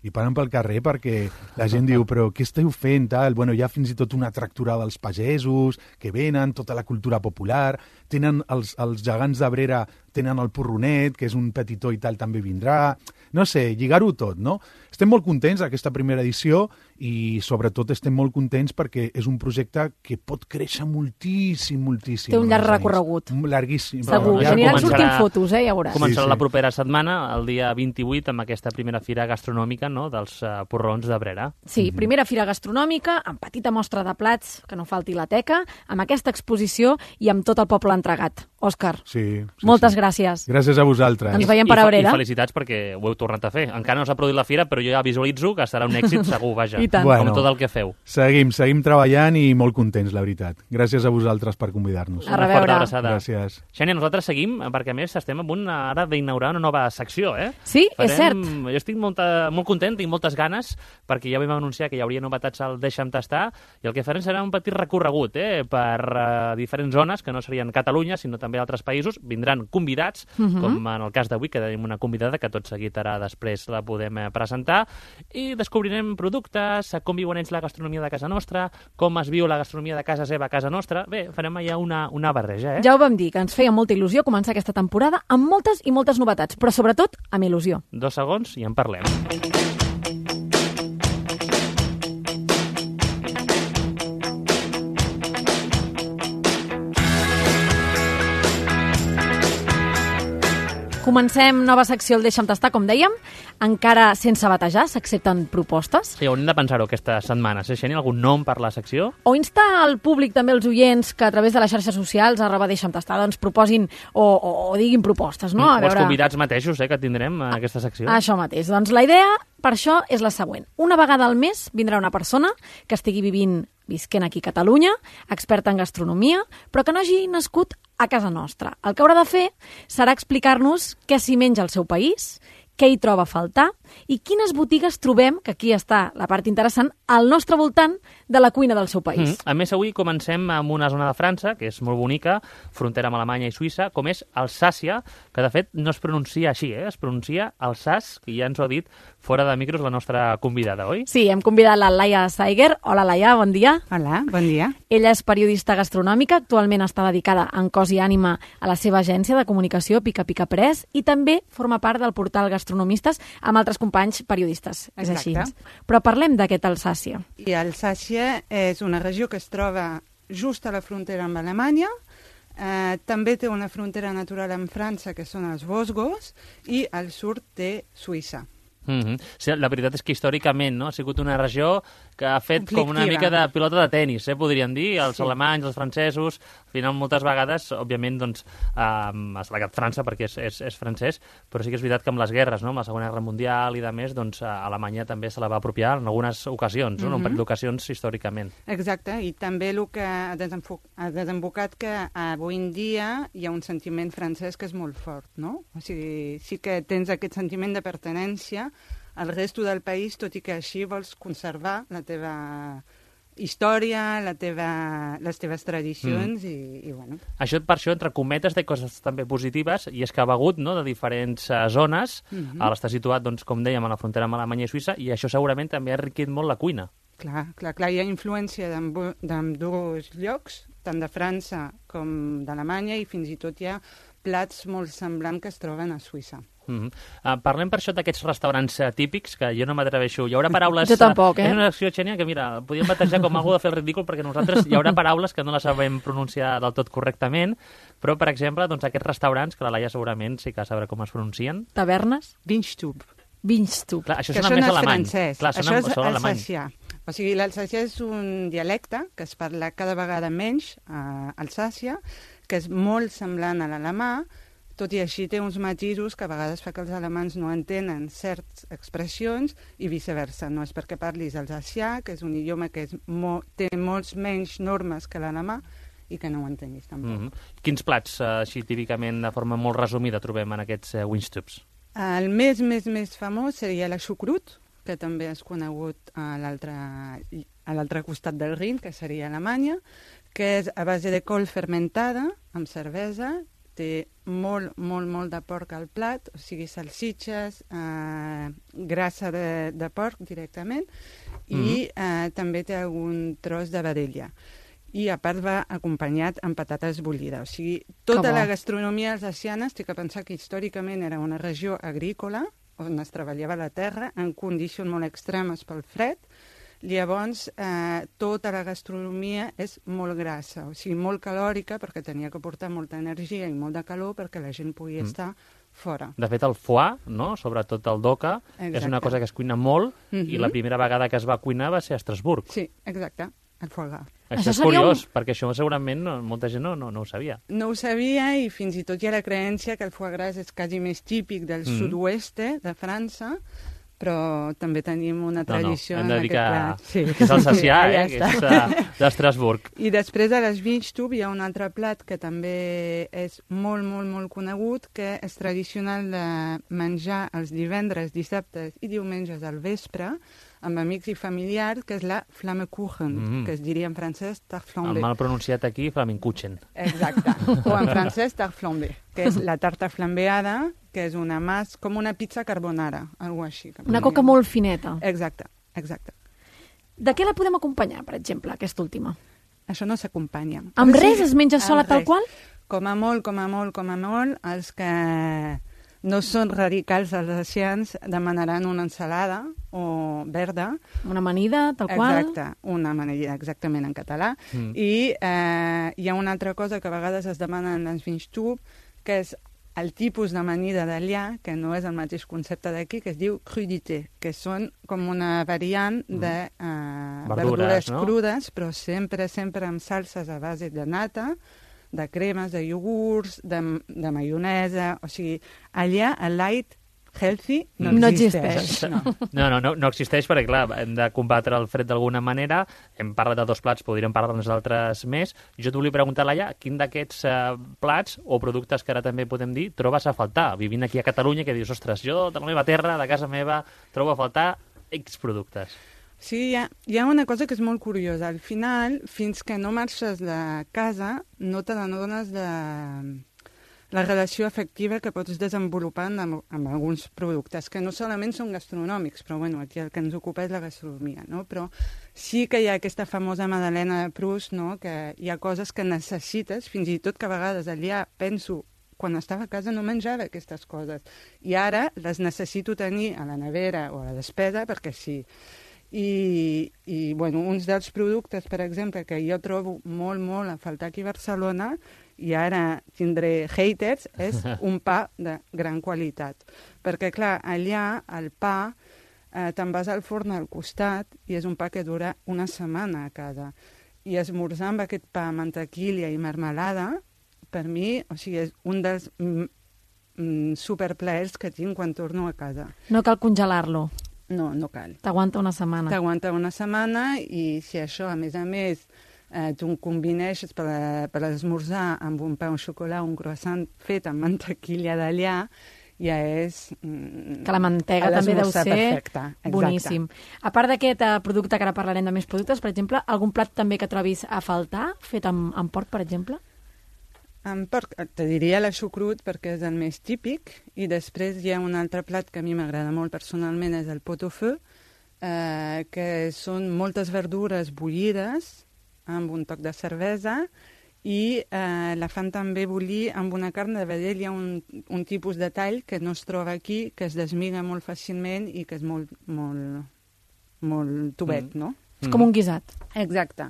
I paren pel carrer perquè la gent diu però què esteu fent, tal? Bueno, hi ha fins i tot una tracturada dels pagesos que venen, tota la cultura popular, tenen els, els gegants d'Abrera, tenen el porronet, que és un petitó i tal, també vindrà. No sé, lligar-ho tot, no? Estem molt contents d'aquesta primera edició i sobretot estem molt contents perquè és un projecte que pot créixer moltíssim, moltíssim. Té un llarg recorregut. Llarguíssim. Segur, ja aniran sortint fotos, eh, ja veuràs. Començarà sí, sí. la propera setmana, el dia vint-i-vuit, amb aquesta primera fira gastronòmica, no?, dels uh, porrons d'Abrera. Sí, primera fira gastronòmica, amb petita mostra de plats, que no falti la teca, amb aquesta exposició i amb tot el poble entregat. Òscar, sí, sí, moltes sí. gràcies. Gràcies a vosaltres. Ens veiem per Abrera. I felicitats perquè ho heu tornat a fer. Encara no s'ha produït la fira, però jo ja visualitzo que serà un èxit segur, vaja. I tant. Bueno, com tot el que feu. Seguim, seguim treballant i molt contents, la veritat. Gràcies a vosaltres per convidar-nos. A reveure. Una forta abraçada. Gràcies. Xènia, nosaltres seguim, perquè a més estem a punt ara d'inaugurar una nova secció, eh? Sí, Farem... és cert. Jo estic molta, molt content, tinc moltes ganes, perquè ja vam anunciar que hi hauria novetats al Deixa'm tastar, i el que farem serà un petit recorregut, eh? Per uh, diferents zones, que no serien Catalunya, sinó també altres països. Vindran convidats, uh -huh. com en el cas d'avui, que tenim una convidada que tot seguit ara després la podem eh, presentar, i descobrirem productes, com viuen ells la gastronomia de casa nostra, com es viu la gastronomia de casa seva a casa nostra. Bé, farem allà una, una barreja, eh? Ja ho vam dir, que ens feia molta il·lusió començar aquesta temporada amb moltes i moltes novetats, però sobretot amb il·lusió. Dos segons i en parlem. Comencem nova secció al Deixa'm tastar, com dèiem, encara sense batejar, s'accepten propostes. Sí, haurem de pensar-ho aquesta setmana. Si Xènia, algun nom per la secció? O insta al públic, també els oients, que a través de les xarxes socials, arroba Deixa'm tastar, doncs proposin o, o, o diguin propostes, no? A veure... Els convidats mateixos, eh, que tindrem en aquesta secció. Això mateix. Doncs la idea, per això, és la següent. Una vegada al mes vindrà una persona que estigui vivint visquent aquí a Catalunya, experta en gastronomia, però que no hagi nascut a casa nostra. El que haurà de fer serà explicar-nos què s'hi menja al seu país, què hi troba a faltar i quines botigues trobem, que aquí està la part interessant, al nostre voltant de la cuina del seu país. Mm. A més, avui comencem amb una zona de França, que és molt bonica, frontera amb Alemanya i Suïssa, com és Alsàcia, que de fet no es pronuncia així, eh? Es pronuncia Alsàs, que ja ens ho ha dit fora de micros la nostra convidada, oi? Sí, hem convidat la Laia Saiger. Hola, Laia, bon dia. Hola, bon dia. Ella és periodista gastronòmica, actualment està dedicada en cos i ànima a la seva agència de comunicació Pica Pica Press i també forma part del portal Gastronomistes amb altres companys periodistes. Exacte. És així. Però parlem d'aquest Alsàcia. I Alsàcia és una regió que es troba just a la frontera amb Alemanya. Eh, també té una frontera natural amb França, que són els Vosgos, i al sud té Suïssa. Mm-hmm. Sí, la veritat és que històricament, no?, ha sigut una regió que ha fet com una mica de pilota de tenis, eh, podríem dir, els sí. alemanys, els francesos, al final moltes vegades, òbviament, doncs, eh, ha destacat França perquè és, és, és francès, però sí que és veritat que amb les guerres, no?, amb la Segona Guerra Mundial i de més, doncs, Alemanya també se la va apropiar en algunes ocasions, no?, mm-hmm. en un parell d'ocasions històricament. Exacte, i també el que ha, ha desembocat que avui en dia hi ha un sentiment francès que és molt fort, no? O sigui, sí que tens aquest sentiment de pertinença al resto del país, tot i que així vols conservar la teva història, la teva, les teves tradicions mm. i, i bueno. Això, per això, entre cometes, té coses també positives, i és que ha begut, no?, de diferents uh, zones, mm-hmm. ara està situat, doncs, com dèiem, a la frontera amb Alemanya i Suïssa, i això segurament també ha enriquit molt la cuina. Clar, clar, clar, hi ha influència d'ambdós llocs, tant de França com d'Alemanya, i fins i tot hi ha plats molt semblants que es troben a Suïssa. Mm -hmm. uh, parlem per això d'aquests restaurants uh, típics, que jo no m'atreveixo. Hi haurà paraules... Jo tampoc, uh, eh? És una acció, Xènia, que mira, podríem batejar com algú de fer el ridícul, perquè nosaltres hi haurà paraules que no les sabem pronunciar del tot correctament, però, per exemple, doncs, aquests restaurants, que la Laia segurament sí que sabrà com es pronuncien. Tavernes? Wingstube. Wingstube. Clar, això que sona això més no és alemany. francès. Clar, sona, això és sona alemany. alsacià. O sigui, l'alsacià és un dialecte que es parla cada vegada menys a Alsàcia, que és molt semblant a l'alemà, tot i així té uns matisos que a vegades fa que els alemans no entenen certes expressions i viceversa. No és perquè parlis alsacià, que és un idioma que és mo té molts menys normes que l'alemà, i que no ho entenis tampoc. Mm -hmm. Quins plats, uh, així típicament, de forma molt resumida, trobem en aquests uh, Wingstubes? El més, més, més famós seria la xucrut, que també és conegut a l'altre a l'altre costat del Rin, que seria Alemanya, que és a base de col fermentada, amb cervesa, té molt, molt, molt de porc al plat, o sigui, salsitxes, eh, grassa de, de porc directament, i mm-hmm. eh, també té algun tros de vedella. I a part va acompanyat amb patates bullides. O sigui, tota la gastronomia alsaciana, estic a pensar que històricament era una regió agrícola, on es treballava la terra, en condicions molt extremes pel fred. Llavors, eh, tota la gastronomia és molt grassa, o sigui, molt calòrica, perquè tenia que portar molta energia i molt de calor perquè la gent pugui mm. estar fora. De fet, el foie, no? Sobretot el doca, exacte. És una cosa que es cuina molt, mm-hmm. i la primera vegada que es va cuinar va ser a Estrasburg. Sí, exacte. El foie gras. Això, això és curiós, un... perquè això segurament no, molta gent no, no, no ho sabia. No ho sabia, i fins i tot hi ha la creència que el foie gras és quasi més típic del mm. sud-oest de França, però també tenim una tradició no, no. Hem de dir en aquest plat. Sí. Que és alsacià, sí, eh? Que és uh, d'Estrasburg. I després de les Wingstube hi ha un altre plat que també és molt, molt, molt conegut, que és tradicional de menjar els divendres, dissabtes i diumenges al vespre, amb amics i familiars, que és la Flammekuchen, mm. que es diria en francès tarte flambée. El mal pronunciat aquí, Flammekuchen. Exacte. O en francès tarte flambée, que és la tarta flambeada, que és una mas, com una pizza carbonara, alguna així. Una coca molt fineta. Exacte, exacte. De què la podem acompanyar, per exemple, aquesta última? Això no s'acompanya. Amb res? Es menja sola tal qual? Com a molt, com a molt, com a molt, els que no són radicals alsacians demanaran una ensalada o verda. Una amanida, tal qual. Exacte, una amanida, exactament en català. Mm. I eh, hi ha una altra cosa que a vegades es demana en les Wingstube, que és el tipus d'amanida d'allà, que no és el mateix concepte d'aquí, que es diu crudité, que són com una variant de eh, verdures, verdures no? crudes, però sempre, sempre amb salses a base de nata, de cremes, de iogurts, de, de maionesa. O sigui, allà el light healthy no, no existeix. existeix. No. No, no, no, no existeix perquè, clar, hem de combatre el fred d'alguna manera. Hem parlat de dos plats, podríem parlar dels altres més. Jo t'ho volia preguntar, Laia, quin d'aquests eh, plats o productes que ara també podem dir trobes a faltar? Vivint aquí a Catalunya, que dius, ostres, jo de la meva terra, de casa meva, trobo a faltar X productes. Sí, hi ha, hi ha una cosa que és molt curiosa. Al final, fins que no marxes de casa, no te n'adones de la relació afectiva que pots desenvolupar amb, amb alguns productes, que no solament són gastronòmics, però bueno, aquí el que ens ocupa és la gastronomia, no? Però sí que hi ha aquesta famosa Madalena de Proust, no? Que hi ha coses que necessites, fins i tot que a vegades allà penso, quan estava a casa no menjava aquestes coses, i ara les necessito tenir a la nevera o a la despesa perquè sí. I, i bueno, uns dels productes, per exemple, que jo trobo molt, molt a faltar aquí a Barcelona, i ara tindré haters, és un pa de gran qualitat. Perquè, clar, allà el pa eh, te'n vas al forn al costat i és un pa que dura una setmana a casa. I esmorzar amb aquest pa, mantequilla i marmelada, per mi, o sigui, és un dels mm, mm, superplaers que tinc quan torno a casa. No cal congelar-lo. No, no cal. T'aguanta una setmana. T'aguanta una setmana, i si això, a més a més, eh, tu combineixes per, per esmorzar amb un pa, un xocolà, un croissant fet amb mantequilla d'allà, ja és... Mm, que la mantega també deu ser perfecta. Boníssim. A part d'aquest eh, producte, que ara parlarem de més productes, per exemple, algun plat també que trobis a faltar, fet amb, amb porc, per exemple? Amb porc, te diria la xucrut perquè és el més típic, i després hi ha un altre plat que a mi m'agrada molt personalment, és el pot-au-feu, eh, que són moltes verdures bullides amb un toc de cervesa i eh, la fan també bullir amb una carn de vedell. Hi ha un, un tipus de tall que no es troba aquí, que es desmiga molt fàcilment i que és molt, molt, molt tubet, Mm. no? És com un guisat. Exacte.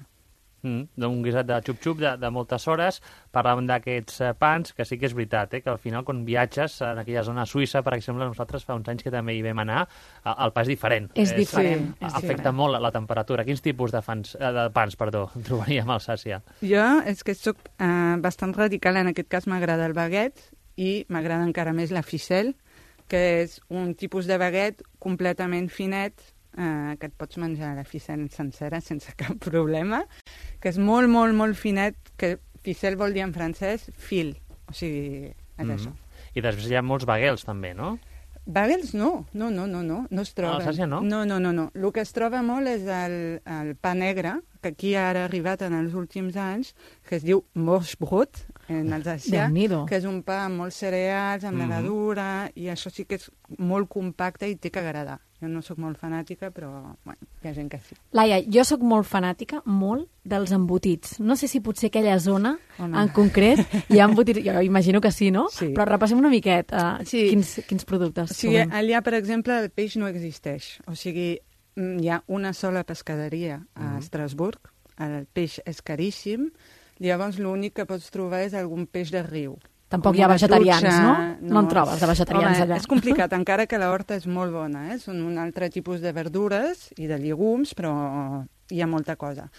Mm, un guisat de xup-xup de, de moltes hores. Parlàvem d'aquests eh, pans, que sí que és veritat, eh, que al final quan viatges en aquella zona suïssa, per exemple, nosaltres fa uns anys que també hi vam anar, eh, el pa és diferent. És diferent, Eh, és afecta diferent. molt la, la temperatura. Quins tipus de, fans, eh, de pans perdó, trobaríem a Alsàcia? Jo és que soc eh, bastant radical, en aquest cas m'agrada el baguet i m'agrada encara més la ficelle, que és un tipus de baguet completament finet, eh, que et pots menjar la ficelle sencera sense cap problema, que és molt, molt, molt finet, que ficelle vol dir en francès fil, o sigui, és Mm. això. I després hi ha molts baguels, també, no? Bagels no, no, no, no, no, no es troba. A Alsàcia no? No, no, no, no. El que es troba molt és el, el pa negre, que aquí ara ha arribat en els últims anys, que es diu morge-brot, en alsacià, Déu-n'hi-do. que és un pa amb molts cereals, amb Mhm. levadura, i això sí que és molt compacte i té que agradar. Jo no sóc molt fanàtica, però bueno, hi ha gent que sí. Laia, jo sóc molt fanàtica, molt, dels embotits. No sé si potser aquella zona, Home. en concret, hi ha embotits, jo imagino que sí, no? Sí. Però repassem una miqueta uh, Sí. quins, quins productes O sigui, trobem. allà, per exemple, el peix no existeix. O sigui, mm, hi ha una sola pescaderia a Mhm. Estrasburg, el peix és caríssim, llavors l'únic que pots trobar és algun peix de riu. Tampoc Com hi ha una vegetarians, trucha, no? No en trobes, de vegetarians, Home, allà. és complicat, encara que la horta és molt bona, eh? Són un altre tipus de verdures i de llegums, però hi ha molta cosa.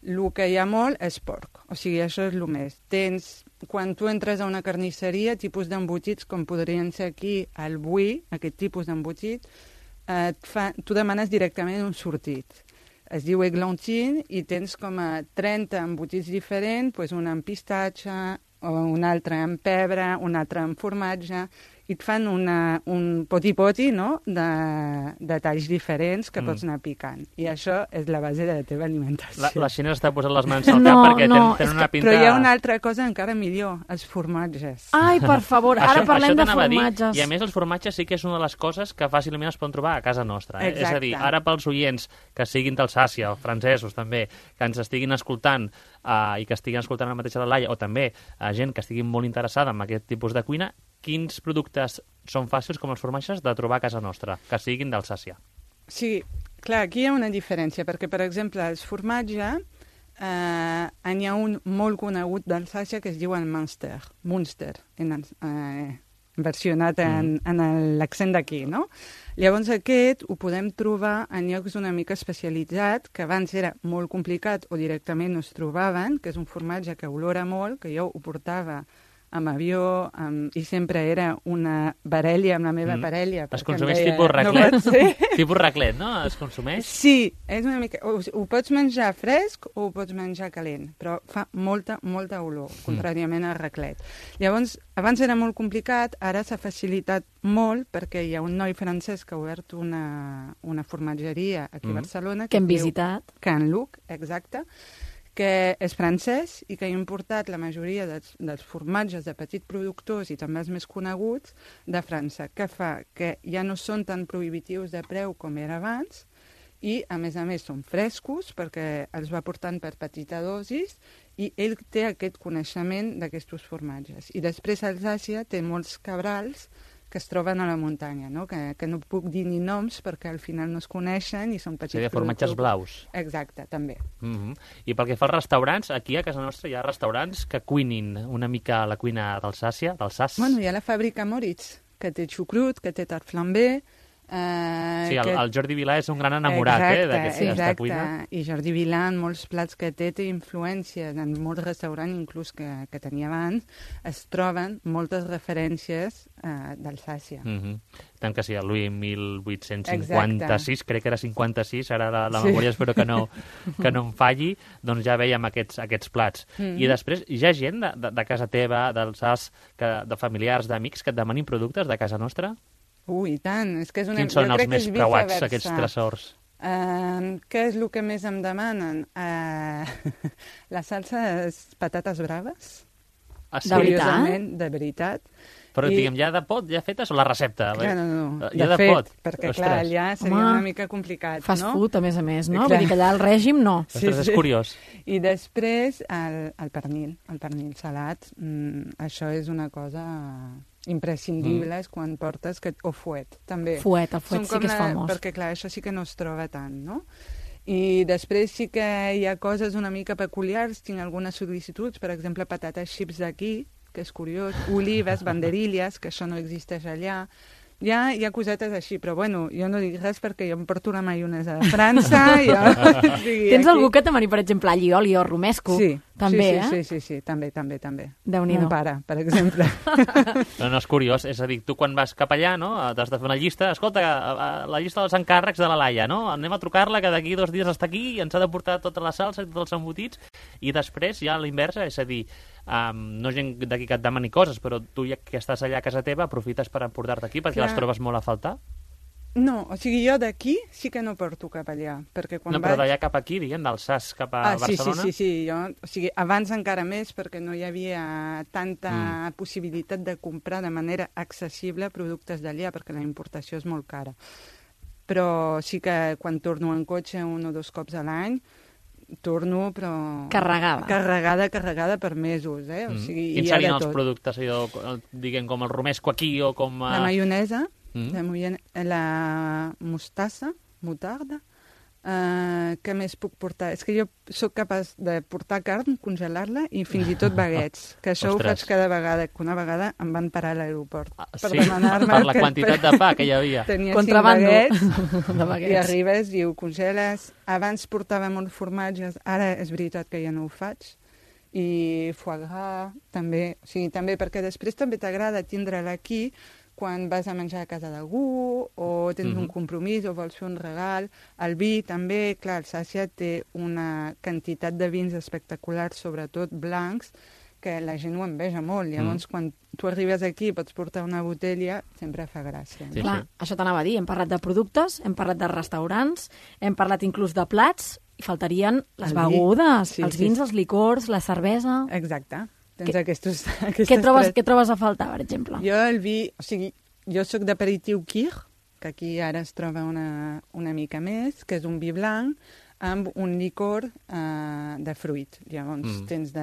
El que hi ha molt és porc, o sigui, això és el més. Tens, quan tu entres a una carnisseria, tipus d'embotits, com podrien ser aquí el buí, aquest tipus d'embotit, eh, et fa, tu demanes directament un sortit. Es diu eglantine i tens com a trenta embotits diferents, doncs un amb pistatge, o un altre amb pebre, un altre amb formatge, i et fan una, un poti-poti, no?, de, de talls diferents que Mm. pots anar picant. I això és la base de la teva alimentació. La, la Xina està posant les mans al No, cap perquè no, ten, és tenen una que, pinta... però hi ha una altra cosa encara millor, els formatges. Ai, per favor, ara Això- parlem això de t'anava a dir, formatges. I a més els formatges sí que és una de les coses que fàcilment es poden trobar a casa nostra. Eh? És a dir, Exacte. ara pels oients que siguin d'Alsàcia o francesos també, que ens estiguin escoltant uh, i que estiguin escoltant la mateixa de Laia, o també uh, gent que estigui molt interessada en aquest tipus de cuina, quins productes són fàcils com els formatges de trobar a casa nostra, que siguin d'Alsàcia? Sí, clar, aquí hi ha una diferència, perquè, per exemple, els formatges, eh, n'hi ha un molt conegut d'Alsàcia que es diu el Munster, Munster, en, els- eh, versionat en, en el- l'accent d'aquí, no? Llavors aquest ho podem trobar en llocs una mica especialitzats, que abans era molt complicat o directament no es trobaven, que és un formatge que olora molt, que jo ho portava amb avió, amb, i sempre era una barella amb la meva Mm. parella. Es perquè em consumeix deia, tipus "No raclet? pot ser". Tipus raclet, no? Es consumeix? Sí, és una mica... Ho, ho pots menjar fresc o ho pots menjar calent, però fa molta, molta olor, contràriament al raclet. Llavors, abans era molt complicat, ara s'ha facilitat molt perquè hi ha un noi francès que ha obert una, una formatgeria aquí a Mm. Barcelona. Que hem es diu visitat. Can Luc, exacte, que és francès i que ha importat la majoria dels, dels formatges de petits productors i també els més coneguts de França, que fa que ja no són tan prohibitius de preu com era abans i, a més a més, són frescos perquè els va portant per petita dosis i ell té aquest coneixement d'aquests formatges. I després Alsàcia té molts cabrals que es troben a la muntanya, no? Que, que no puc dir ni noms perquè al final no es coneixen i són petits Seria formatges productors. blaus. Exacte, també. Mm -hmm. I pel que fa als restaurants, aquí a casa nostra hi ha restaurants que cuinin una mica la cuina d'Alsàcia, d'Alsàcia. Bueno, hi ha la fàbrica Moritz, que té xucrut, que té tart flambé... Eh, Sí, el, que... el Jordi Vilà és un gran enamorat exacte, eh, d'aquesta exacte. cuina. I Jordi Vilà, en molts plats que té, té influències, en molts restaurants inclús que, que tenia abans, es troben moltes referències eh, d'Alsàcia. Mm -hmm. Tant que sí, el Louis mil vuit-cents cinquanta-sis, crec que era cinquanta-sis, ara la, la Sí. memòria espero que no, que no em falli, doncs ja veiem aquests, aquests plats. Mhm. I després hi ha gent de, de, de casa teva, d'Alsàs, que, de familiars, d'amics, que et demanin productes de casa nostra? Ui, i tant, és que és una... Quins són jo els crec que més és preuats, viceversa. aquests tresors? Uh, què és el que més em demanen? Uh, la salsa és patates braves. Ah, sí? Curiosament, de veritat. Però, I... diguem, ja de pot, ja fetes, o la recepta? Clar, no, no, ja de de fet, pot. perquè, Ostres. clar, allà seria Home, una mica complicat, fast no? food, a més a més, no? Clar. Vull dir que allà el règim no. Ostres, és curiós. I després, el, el pernil, el pernil salat, mm, això és una cosa imprescindible mm. quan portes, que, o fuet, també. Fuet, el fuet Són sí com que és la- famós. Perquè, clar, això sí que no es troba tant, no? I després sí que hi ha coses una mica peculiars, tinc algunes sol·licituds, per exemple, patates xips d'aquí, que és curiós, olives, banderilles, que això no existeix allà. Hi ha, hi ha cosetes així, però bueno, jo no dic res perquè jo em porto la maionesa de França. Jo, o sigui, Tens aquí... algú que t'amani, per exemple, allioli o romesco? Sí, també, sí, eh? sí, sí, sí, també, també, també. Déu-n'hi-do. Mon pare, per exemple. No, no, és curiós. És a dir, tu quan vas cap allà, no?, t'has de fer una llista. Escolta, la llista dels encàrrecs de la Laia, no? Anem a trucar-la, que d'aquí dos dies està aquí i ens ha de portar tota la salsa i tots els embotits. I després hi ha l'inversa, és a dir, um, no gent d'aquí que et demani coses, però tu ja que estàs allà a casa teva aprofites per emportar-te aquí perquè Clar. les trobes molt a faltar. No, o sigui, jo d'aquí sí que no porto cap allà, perquè quan No, però vaig... d'allà cap aquí, diguem, d'Alsàs cap a Ah, sí, sí, Barcelona. sí, sí, jo, o sigui, abans encara més, perquè no hi havia tanta Mm. possibilitat de comprar de manera accessible productes d'allà, perquè la importació és molt cara. Però sí que quan torno en cotxe un o dos cops a l'any, torno, però... Carregada. Carregada, carregada per mesos, eh? O Mm. sigui, Quins hi ha de serien els tot. productes, allò, diguem, com el romesco aquí o com... La maionesa, Mm. la, moione- la mostassa, mutarda. Uh, què més puc portar? És que jo sóc capaç de portar carn, congelar-la i fins i tot baguets, que això Ostres. ho faig cada vegada, que una vegada em van parar a l'aeroport per sí? demanar-me... Per la que- quantitat de pa que hi havia. Tenia Contrabando cinc de baguets, baguets. i arribes i ho congeles. Abans portava molts formatges, ara és veritat que ja no ho faig. I foie gras, també. O sigui, també, perquè després també t'agrada tindre-la aquí quan vas a menjar a casa d'algú o tens Mhm. un compromís o vols fer un regal. El vi també, clar, Alsàcia té una quantitat de vins espectaculars, sobretot blancs, que la gent ho enveja molt. Llavors, Mm. quan tu arribes aquí i pots portar una botella, sempre fa gràcia. Sí, Clar, sí. això t'anava a dir. Hem parlat de productes, hem parlat de restaurants, hem parlat inclús de plats, i faltarien les El vi. begudes, Sí, els sí, vins, sí. els licors, la cervesa... Exacte. Tens Què- aquestos, aquestes Què trobes, tres. què trobes a faltar, per exemple? Jo el vi, o sigui, jo sóc d'aperitiu Kir, que aquí ara es troba una, una mica més, que és un vi blanc amb un licor eh, de fruit. Llavors Mm. tens de,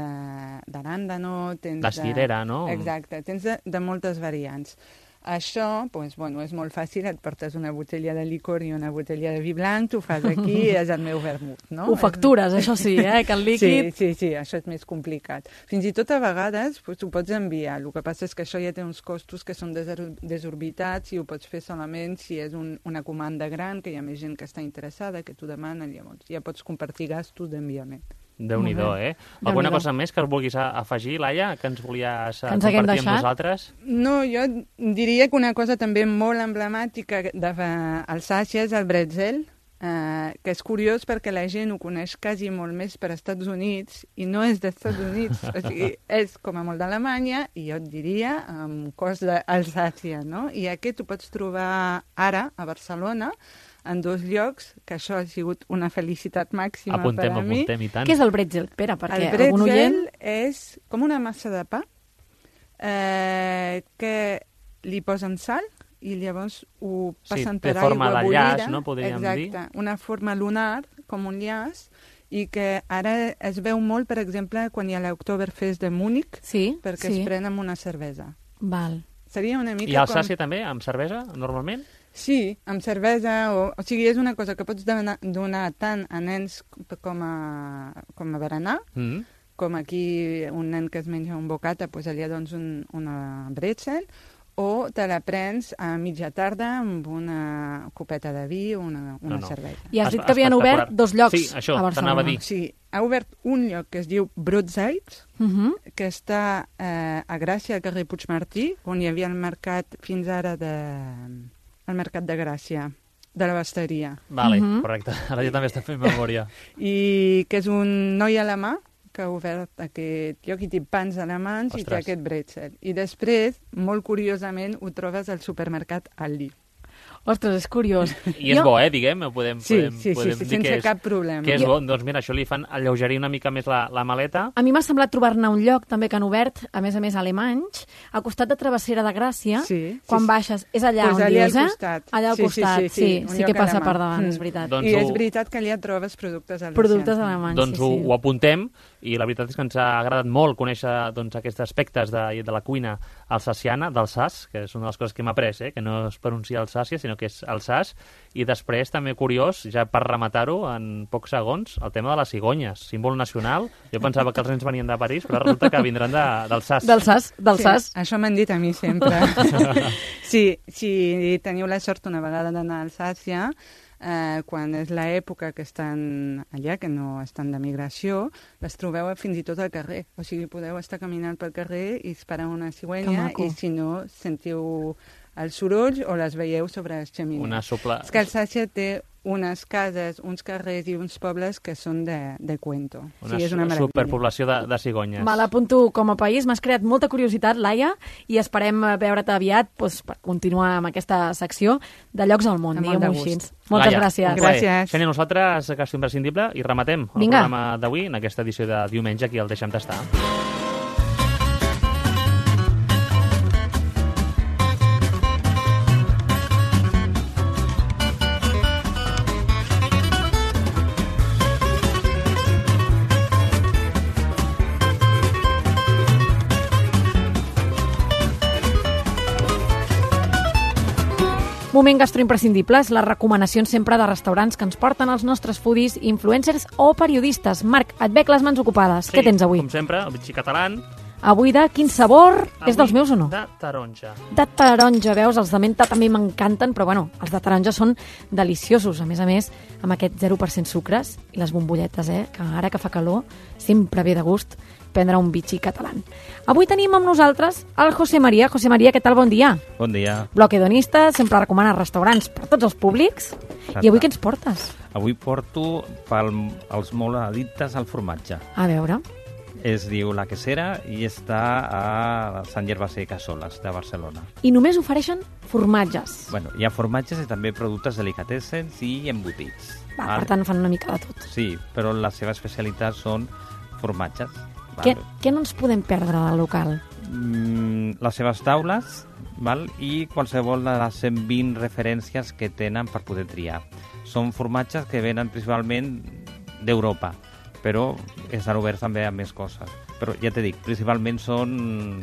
d'arándano, tens La de... cirera, no? Exacte, tens de, de moltes variants. Això, doncs, bueno, és molt fàcil, et portes una botella de licor i una botella de vi blanc, tu fas aquí i és el meu vermut, no? Ho factures, això sí, eh? Que el líquid... Sí, sí, sí, això és més complicat. Fins i tot a vegades doncs, ho pots enviar. El que passa és que això ja té uns costos que són desor- desorbitats i ho pots fer solament si és un, una comanda gran, que hi ha més gent que està interessada, que t'ho demanen, llavors ja pots compartir gastos d'enviament. Déu-n'hi-do, Molt bé. eh? Alguna Déu-n'hi-do. cosa més que vulguis a- afegir, Laia, que ens volies eh, Que ens haguem compartir amb deixat? nosaltres? No, jo diria que una cosa també molt emblemàtica d'Alsàcia és el bretzel, eh, que és curiós perquè la gent ho coneix quasi molt més per Estats Units i no és dels Estats Units, o sigui, és com a molt d'Alemanya i jo et diria amb cos d'Alsàcia, no? I aquest ho pots trobar ara a Barcelona en dos llocs, que això ha sigut una felicitat màxima Apuntem, per a mi. apuntem, i tant. Què és el bretzel? Espera, perquè El algun bretzel oient... és com una massa de pa eh, que li posen sal i llavors ho Sí, passen té per forma aigua de bullida. llaç, no? Podríem dir. Exacte, una forma lunar, com un llaç, i que ara es veu molt, per exemple, quan hi ha l'Oktoberfest de Múnich, Sí, perquè sí. es pren amb una cervesa. Val. Seria una mica I Alsàcia com... també, amb cervesa, normalment? Sí, amb cervesa, o, o sigui, és una cosa que pots donar, donar tant a nens com a, com a berenar, Mm. com aquí un nen que es menja un bocata, doncs allà dones un, una bretzel, o te la prens a mitja tarda amb una copeta de vi o una, una No, no. cervesa. I has dit que havien obert dos llocs Sí, això, a Barcelona. t'anava a dir. Sí, ha obert un lloc que es diu Brotzeit, Uh -huh. que està eh, a Gràcia, al carrer Puigmartí, on hi havia el mercat fins ara de... el mercat de Gràcia, de la Basteria. Vale, Mhm. correcte. Ara jo també estic fent memòria. I que és un noi alemà que ha obert aquest lloc i té pans alemans i té Ostres. aquest bretzel. I després, molt curiosament, ho trobes al supermercat Aldi. Ostres, és curiós. I és bo, eh, diguem, podem, Sí, podem, sí, sí, podem sí, dir sense que és, cap problema. que és Jo- bo. Doncs mira, això li fan alleugerir una mica més la, la maleta. A mi m'ha semblat trobar-ne un lloc també que han obert, a més a més alemanys, al costat de Travessera de Gràcia, Sí, quan sí, sí. baixes, és allà Pues on allà dius, al eh? costat. Allà al Sí, sí, costat, sí, sí, sí, un sí, lloc que passa alemany. per davant, Mm. és veritat. Doncs I ho- és veritat que allà trobes productes alsacians. Productes alemanys, Doncs sí, ho, sí. ho apuntem, i la veritat és que ens ha agradat molt conèixer doncs, aquests aspectes de, de la cuina alsaciana, d'Alsace, que és una de les coses que hem après, eh? Que no es pronuncia Alsàcia, sinó que és Alsace, i després també curiós, ja per rematar-ho en pocs segons, el tema de les cigonyes, símbol nacional. Jo pensava que els nens venien de París, però resulta que vindran de- d'Alsace. D'Alsace, d'Alsace. Sí, això m'han dit a mi sempre. sí, si teniu la sort una vegada d'anar a Alsàcia, eh, quan és l'època que estan allà, que no estan de migració, les trobeu fins i tot al carrer. O sigui, podeu estar caminant pel carrer i esperar una Que cigüenya maco. i si no, sentiu els sorolls o les veieu sobre les xemeneies. Una sopla... És que Alsàcia té unes cases, uns carrers i uns pobles que són de, de cuento. Una, o sigui, és una meravella. superpoblació de, de cigonyes. Me l'apunto com a país. M'has creat molta curiositat, Laia, i esperem eh, veure't aviat doncs, per continuar amb aquesta secció de llocs al món, Amb molt diguem-ho de així. gust. Moltes Laia, gràcies. un plaer. Gràcies. Xènia, nosaltres, Gasto Imprescindible, i rematem el Vinga. programa d'avui en aquesta edició de diumenge, aquí el deixem tastar. Moment gastroimprescindible és les recomanacions sempre de restaurants que ens porten els nostres foodies, influencers o periodistes. Marc, et veig les mans ocupades. Què tens avui? Com sempre, el bitxí català. Avui de quin sabor? És dels meus o no? De taronja. De taronja, veus? Els de menta també m'encanten, però bueno, els de taronja són deliciosos. A més a més, amb aquest zero per cent sucres i les bombolletes, eh? Que ara que fa calor, sempre ve de gust prendre un bitxí català. Avui tenim amb nosaltres el José María. José María, què tal? Bon dia. Bon dia. Bloc hedonista, sempre recomana restaurants per tots els públics. I avui què ens portes? Avui porto pel, els molt addictes al formatge. A veure. Es diu La Quesera i està a Sant Gervasí Cassoles, de Barcelona. I només ofereixen formatges. Bueno, hi ha formatges i també productes delicatessens i embotits. Va, per tant, fan una mica de tot. Sí, però la seva especialitat són formatges. Què, què no ens podem perdre del local? Mm, les seves taules, val? I qualsevol de les cent vint referències que tenen per poder triar. Són formatges que venen principalment d'Europa, però estan oberts també a més coses. Però ja t'he dit, principalment són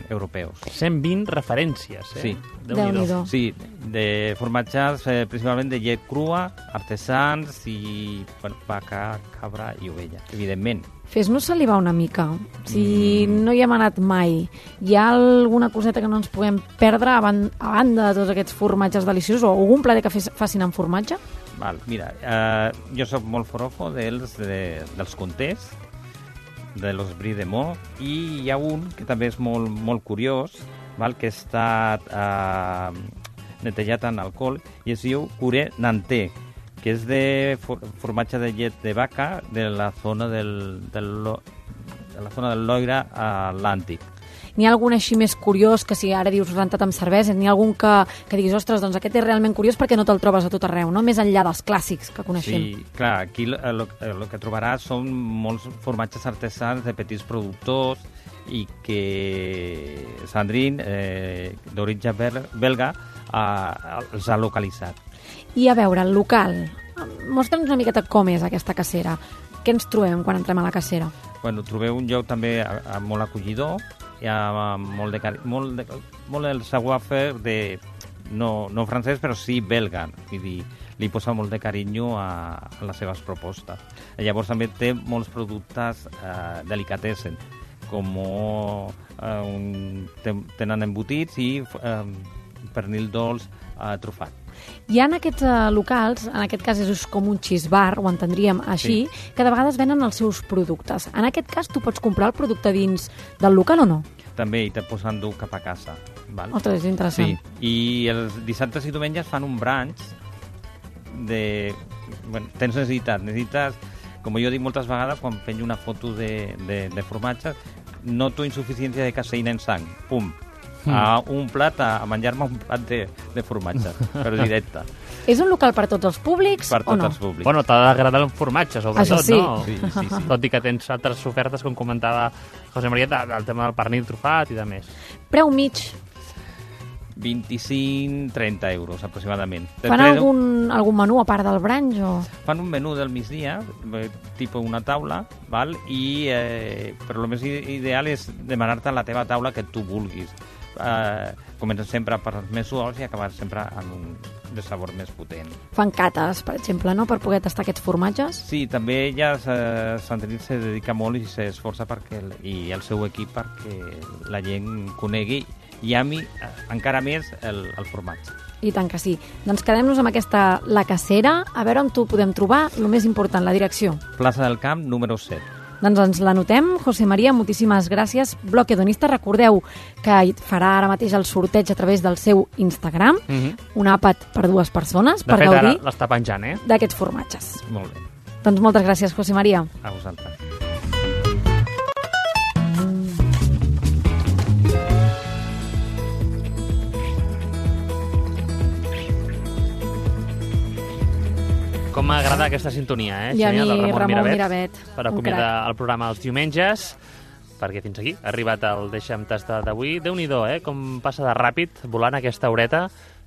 europeus. cent vint referències, eh? Sí. Déu-n'hi-do. Sí, de formatges eh, principalment de llet crua, artesans i bueno, vaca, cabra i ovella, evidentment. Fes-nos salivar una mica. Si mm. no hi hem anat mai, hi ha alguna coseta que no ens puguem perdre a, ban a banda de tots aquests formatges deliciosos o algun plater que fes facin amb formatge? Val, mira, eh, jo sóc molt forofo dels, de, dels contés, de los brie de Meaux, i hi ha un que també és molt, molt curiós, val, que està eh, netejat en alcohol, i es diu Curé Nantais, que és de for formatge de llet de vaca de la zona del, del, de la zona del Loira Atlàntic. N'hi ha algun així més curiós que si ara dius rentat amb cervesa, n'hi ha algun que, que diguis, ostres, doncs aquest és realment curiós perquè no te'l trobes a tot arreu, no? Més enllà dels clàssics que coneixem. Sí, clar, aquí el, el que trobaràs són molts formatges artesans de petits productors i que Sandrine, eh, d'origen belga, eh, els ha localitzat. I a veure, el local, mostra'ns una miqueta com és aquesta cacera. Què ens trobem quan entrem a la cacera? Bueno, trobeu un lloc també a, a molt acollidor, hi ha molt de, molt de, molt del savoir-faire de, no, no francès, però sí belga, vull dir, li posa molt de carinyo a, a les seves propostes. I llavors també té molts productes eh, delicatessen, com eh, un, tenen embotits i eh, pernil dolç eh, trufat. Hi ha aquests uh, locals, en aquest cas és com un cheese bar, ho entendríem així, sí, que de vegades venen els seus productes. En aquest cas, tu pots comprar el producte dins del local o no? També, i te posen dur cap a casa. Val? Ostres, és interessant. Sí, i els dissabtes i diumenges fan un brunch de... Bueno, tens necessitat, necessites, com jo dic moltes vegades, quan penjo una foto de, de, de formatge, noto insuficiència de caseïna en sang. Pum, a un plat, a menjar-me un plat de, de formatge, però directe. És un local per tots els públics Per o tots no? els públics. Bueno, t'ha d'agradar el formatge, sobretot, Això sí. no? Sí, sí, sí. Tot i que tens altres ofertes, com comentava José María, de- del tema del pernil trufat i de més. Preu mig. vint-i-cinc a trenta euros, aproximadament. Fan algun, algun menú a part del branch o...? Fan un menú del migdia, eh, tipus una taula, val? I, eh, però el més i- ideal és demanar-te la teva taula que tu vulguis. Eh, comencen sempre per els més suaus i acabar sempre amb un de sabor més potent. Fan cates, per exemple, no?, per poder tastar aquests formatges? Sí, també ella, eh, Sandrine, se dedica molt i s'esforça perquè el, i el seu equip perquè la gent conegui i ami eh, encara més el, el formatge. I tant que sí. Doncs quedem-nos amb aquesta La Cacera, a veure on t'ho podem trobar, el més important, la direcció. Plaça del Camp, número set. Doncs ens l'anotem. José María, moltíssimes gràcies. Bloc Hedonista, recordeu que farà ara mateix el sorteig a través del seu Instagram, Mhm. un àpat per dues persones, De per fet, ara gaudir l'està penjant, eh? d'aquests formatges. Molt bé. Doncs moltes gràcies, José María. A vosaltres. Com m'agrada aquesta sintonia, eh? I a Xenia, mi, del Ramon, Ramon Miravet, Miravet, per un acomiadar el programa els diumenges, perquè fins aquí ha arribat el Deixa'm tastar d'avui. Déu-n'hi-do, eh? Com passa de ràpid volant aquesta horeta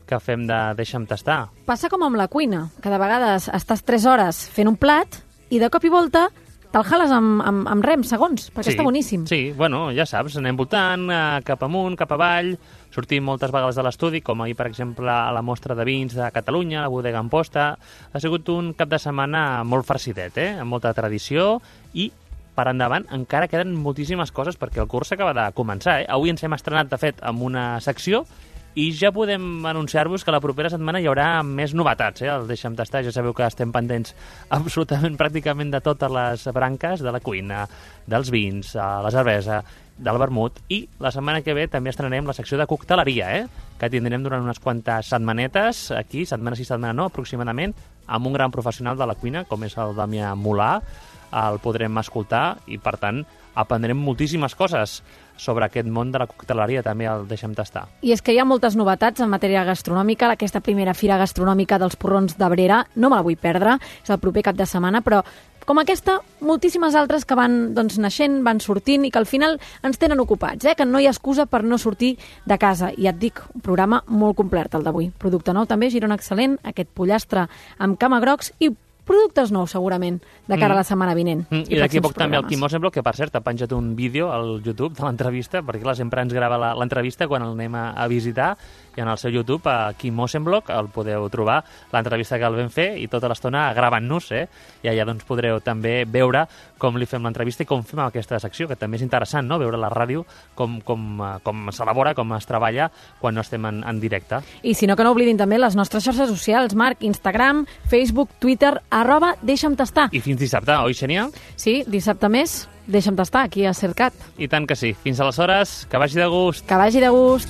que fem de Deixa'm tastar. Passa com amb la cuina, que de vegades estàs tres hores fent un plat i de cop i volta te'l jales amb, amb, amb rem, segons, perquè Sí, està boníssim. Sí, bueno, ja saps, anem votant eh, cap amunt, cap avall, sortim moltes vegades de l'estudi, com ahir, per exemple, a la mostra de vins de Catalunya, la bodega Amposta. Ha sigut un cap de setmana molt farcidet, eh? Amb molta tradició i per endavant encara queden moltíssimes coses perquè el curs s'acaba de començar, eh? Avui ens hem estrenat, de fet, amb una secció i ja podem anunciar-vos que la propera setmana hi haurà més novetats, eh? El Deixa'm tastar, ja sabeu que estem pendents absolutament pràcticament de totes les branques de la cuina, dels vins, la cervesa, del vermut, i la setmana que ve també estrenarem la secció de cocteleria, eh? Que tindrem durant unes quantes setmanetes, aquí, setmana sí, setmana no, aproximadament, amb un gran professional de la cuina, com és el Damià Molà, el podrem escoltar i, per tant, aprendrem moltíssimes coses sobre aquest món de la cocteleria, també el Deixa'm tastar. I és que hi ha moltes novetats en matèria gastronòmica. Aquesta primera fira gastronòmica dels porrons d'Abrera no me la vull perdre, és el proper cap de setmana, però com aquesta, moltíssimes altres que van doncs, naixent, van sortint i que al final ens tenen ocupats, eh? Que no hi ha excusa per no sortir de casa. I ja et dic, un programa molt complet el d'avui. Producte nou també, Girona Excel·lent, aquest pollastre amb camagrocs i productes nous, segurament, de cara a la setmana vinent. Mm, I d'aquí a pròxims poc també el programes. Quim Osenbloc, que per cert ha penjat un vídeo al YouTube de l'entrevista, perquè clar, sempre ens grava la- l'entrevista quan el anem a, a visitar, i en el seu YouTube, a Quim Osenbloc, el podeu trobar, l'entrevista que el vam fer, i tota l'estona gravant-nos, eh? I allà doncs podreu també veure com li fem l'entrevista i com fem aquesta secció, que també és interessant, no?, veure la ràdio, com, com, eh, com s'elabora, com es treballa quan no estem en, en directe. I si no, que no oblidin també les nostres xarxes socials, Marc, Instagram, Facebook, Twitter, arroba Deixa'm tastar. I fins dissabte, oi, Xenia? Sí, dissabte més, Deixa'm tastar, aquí a Cercat. I tant que sí. Fins aleshores, que vagi de gust. Que vagi de gust.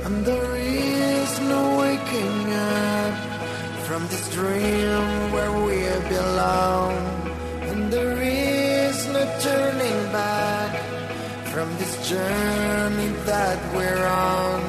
And there is no waking up from this dream where we belong, and there is no turning back from this journey that we're on.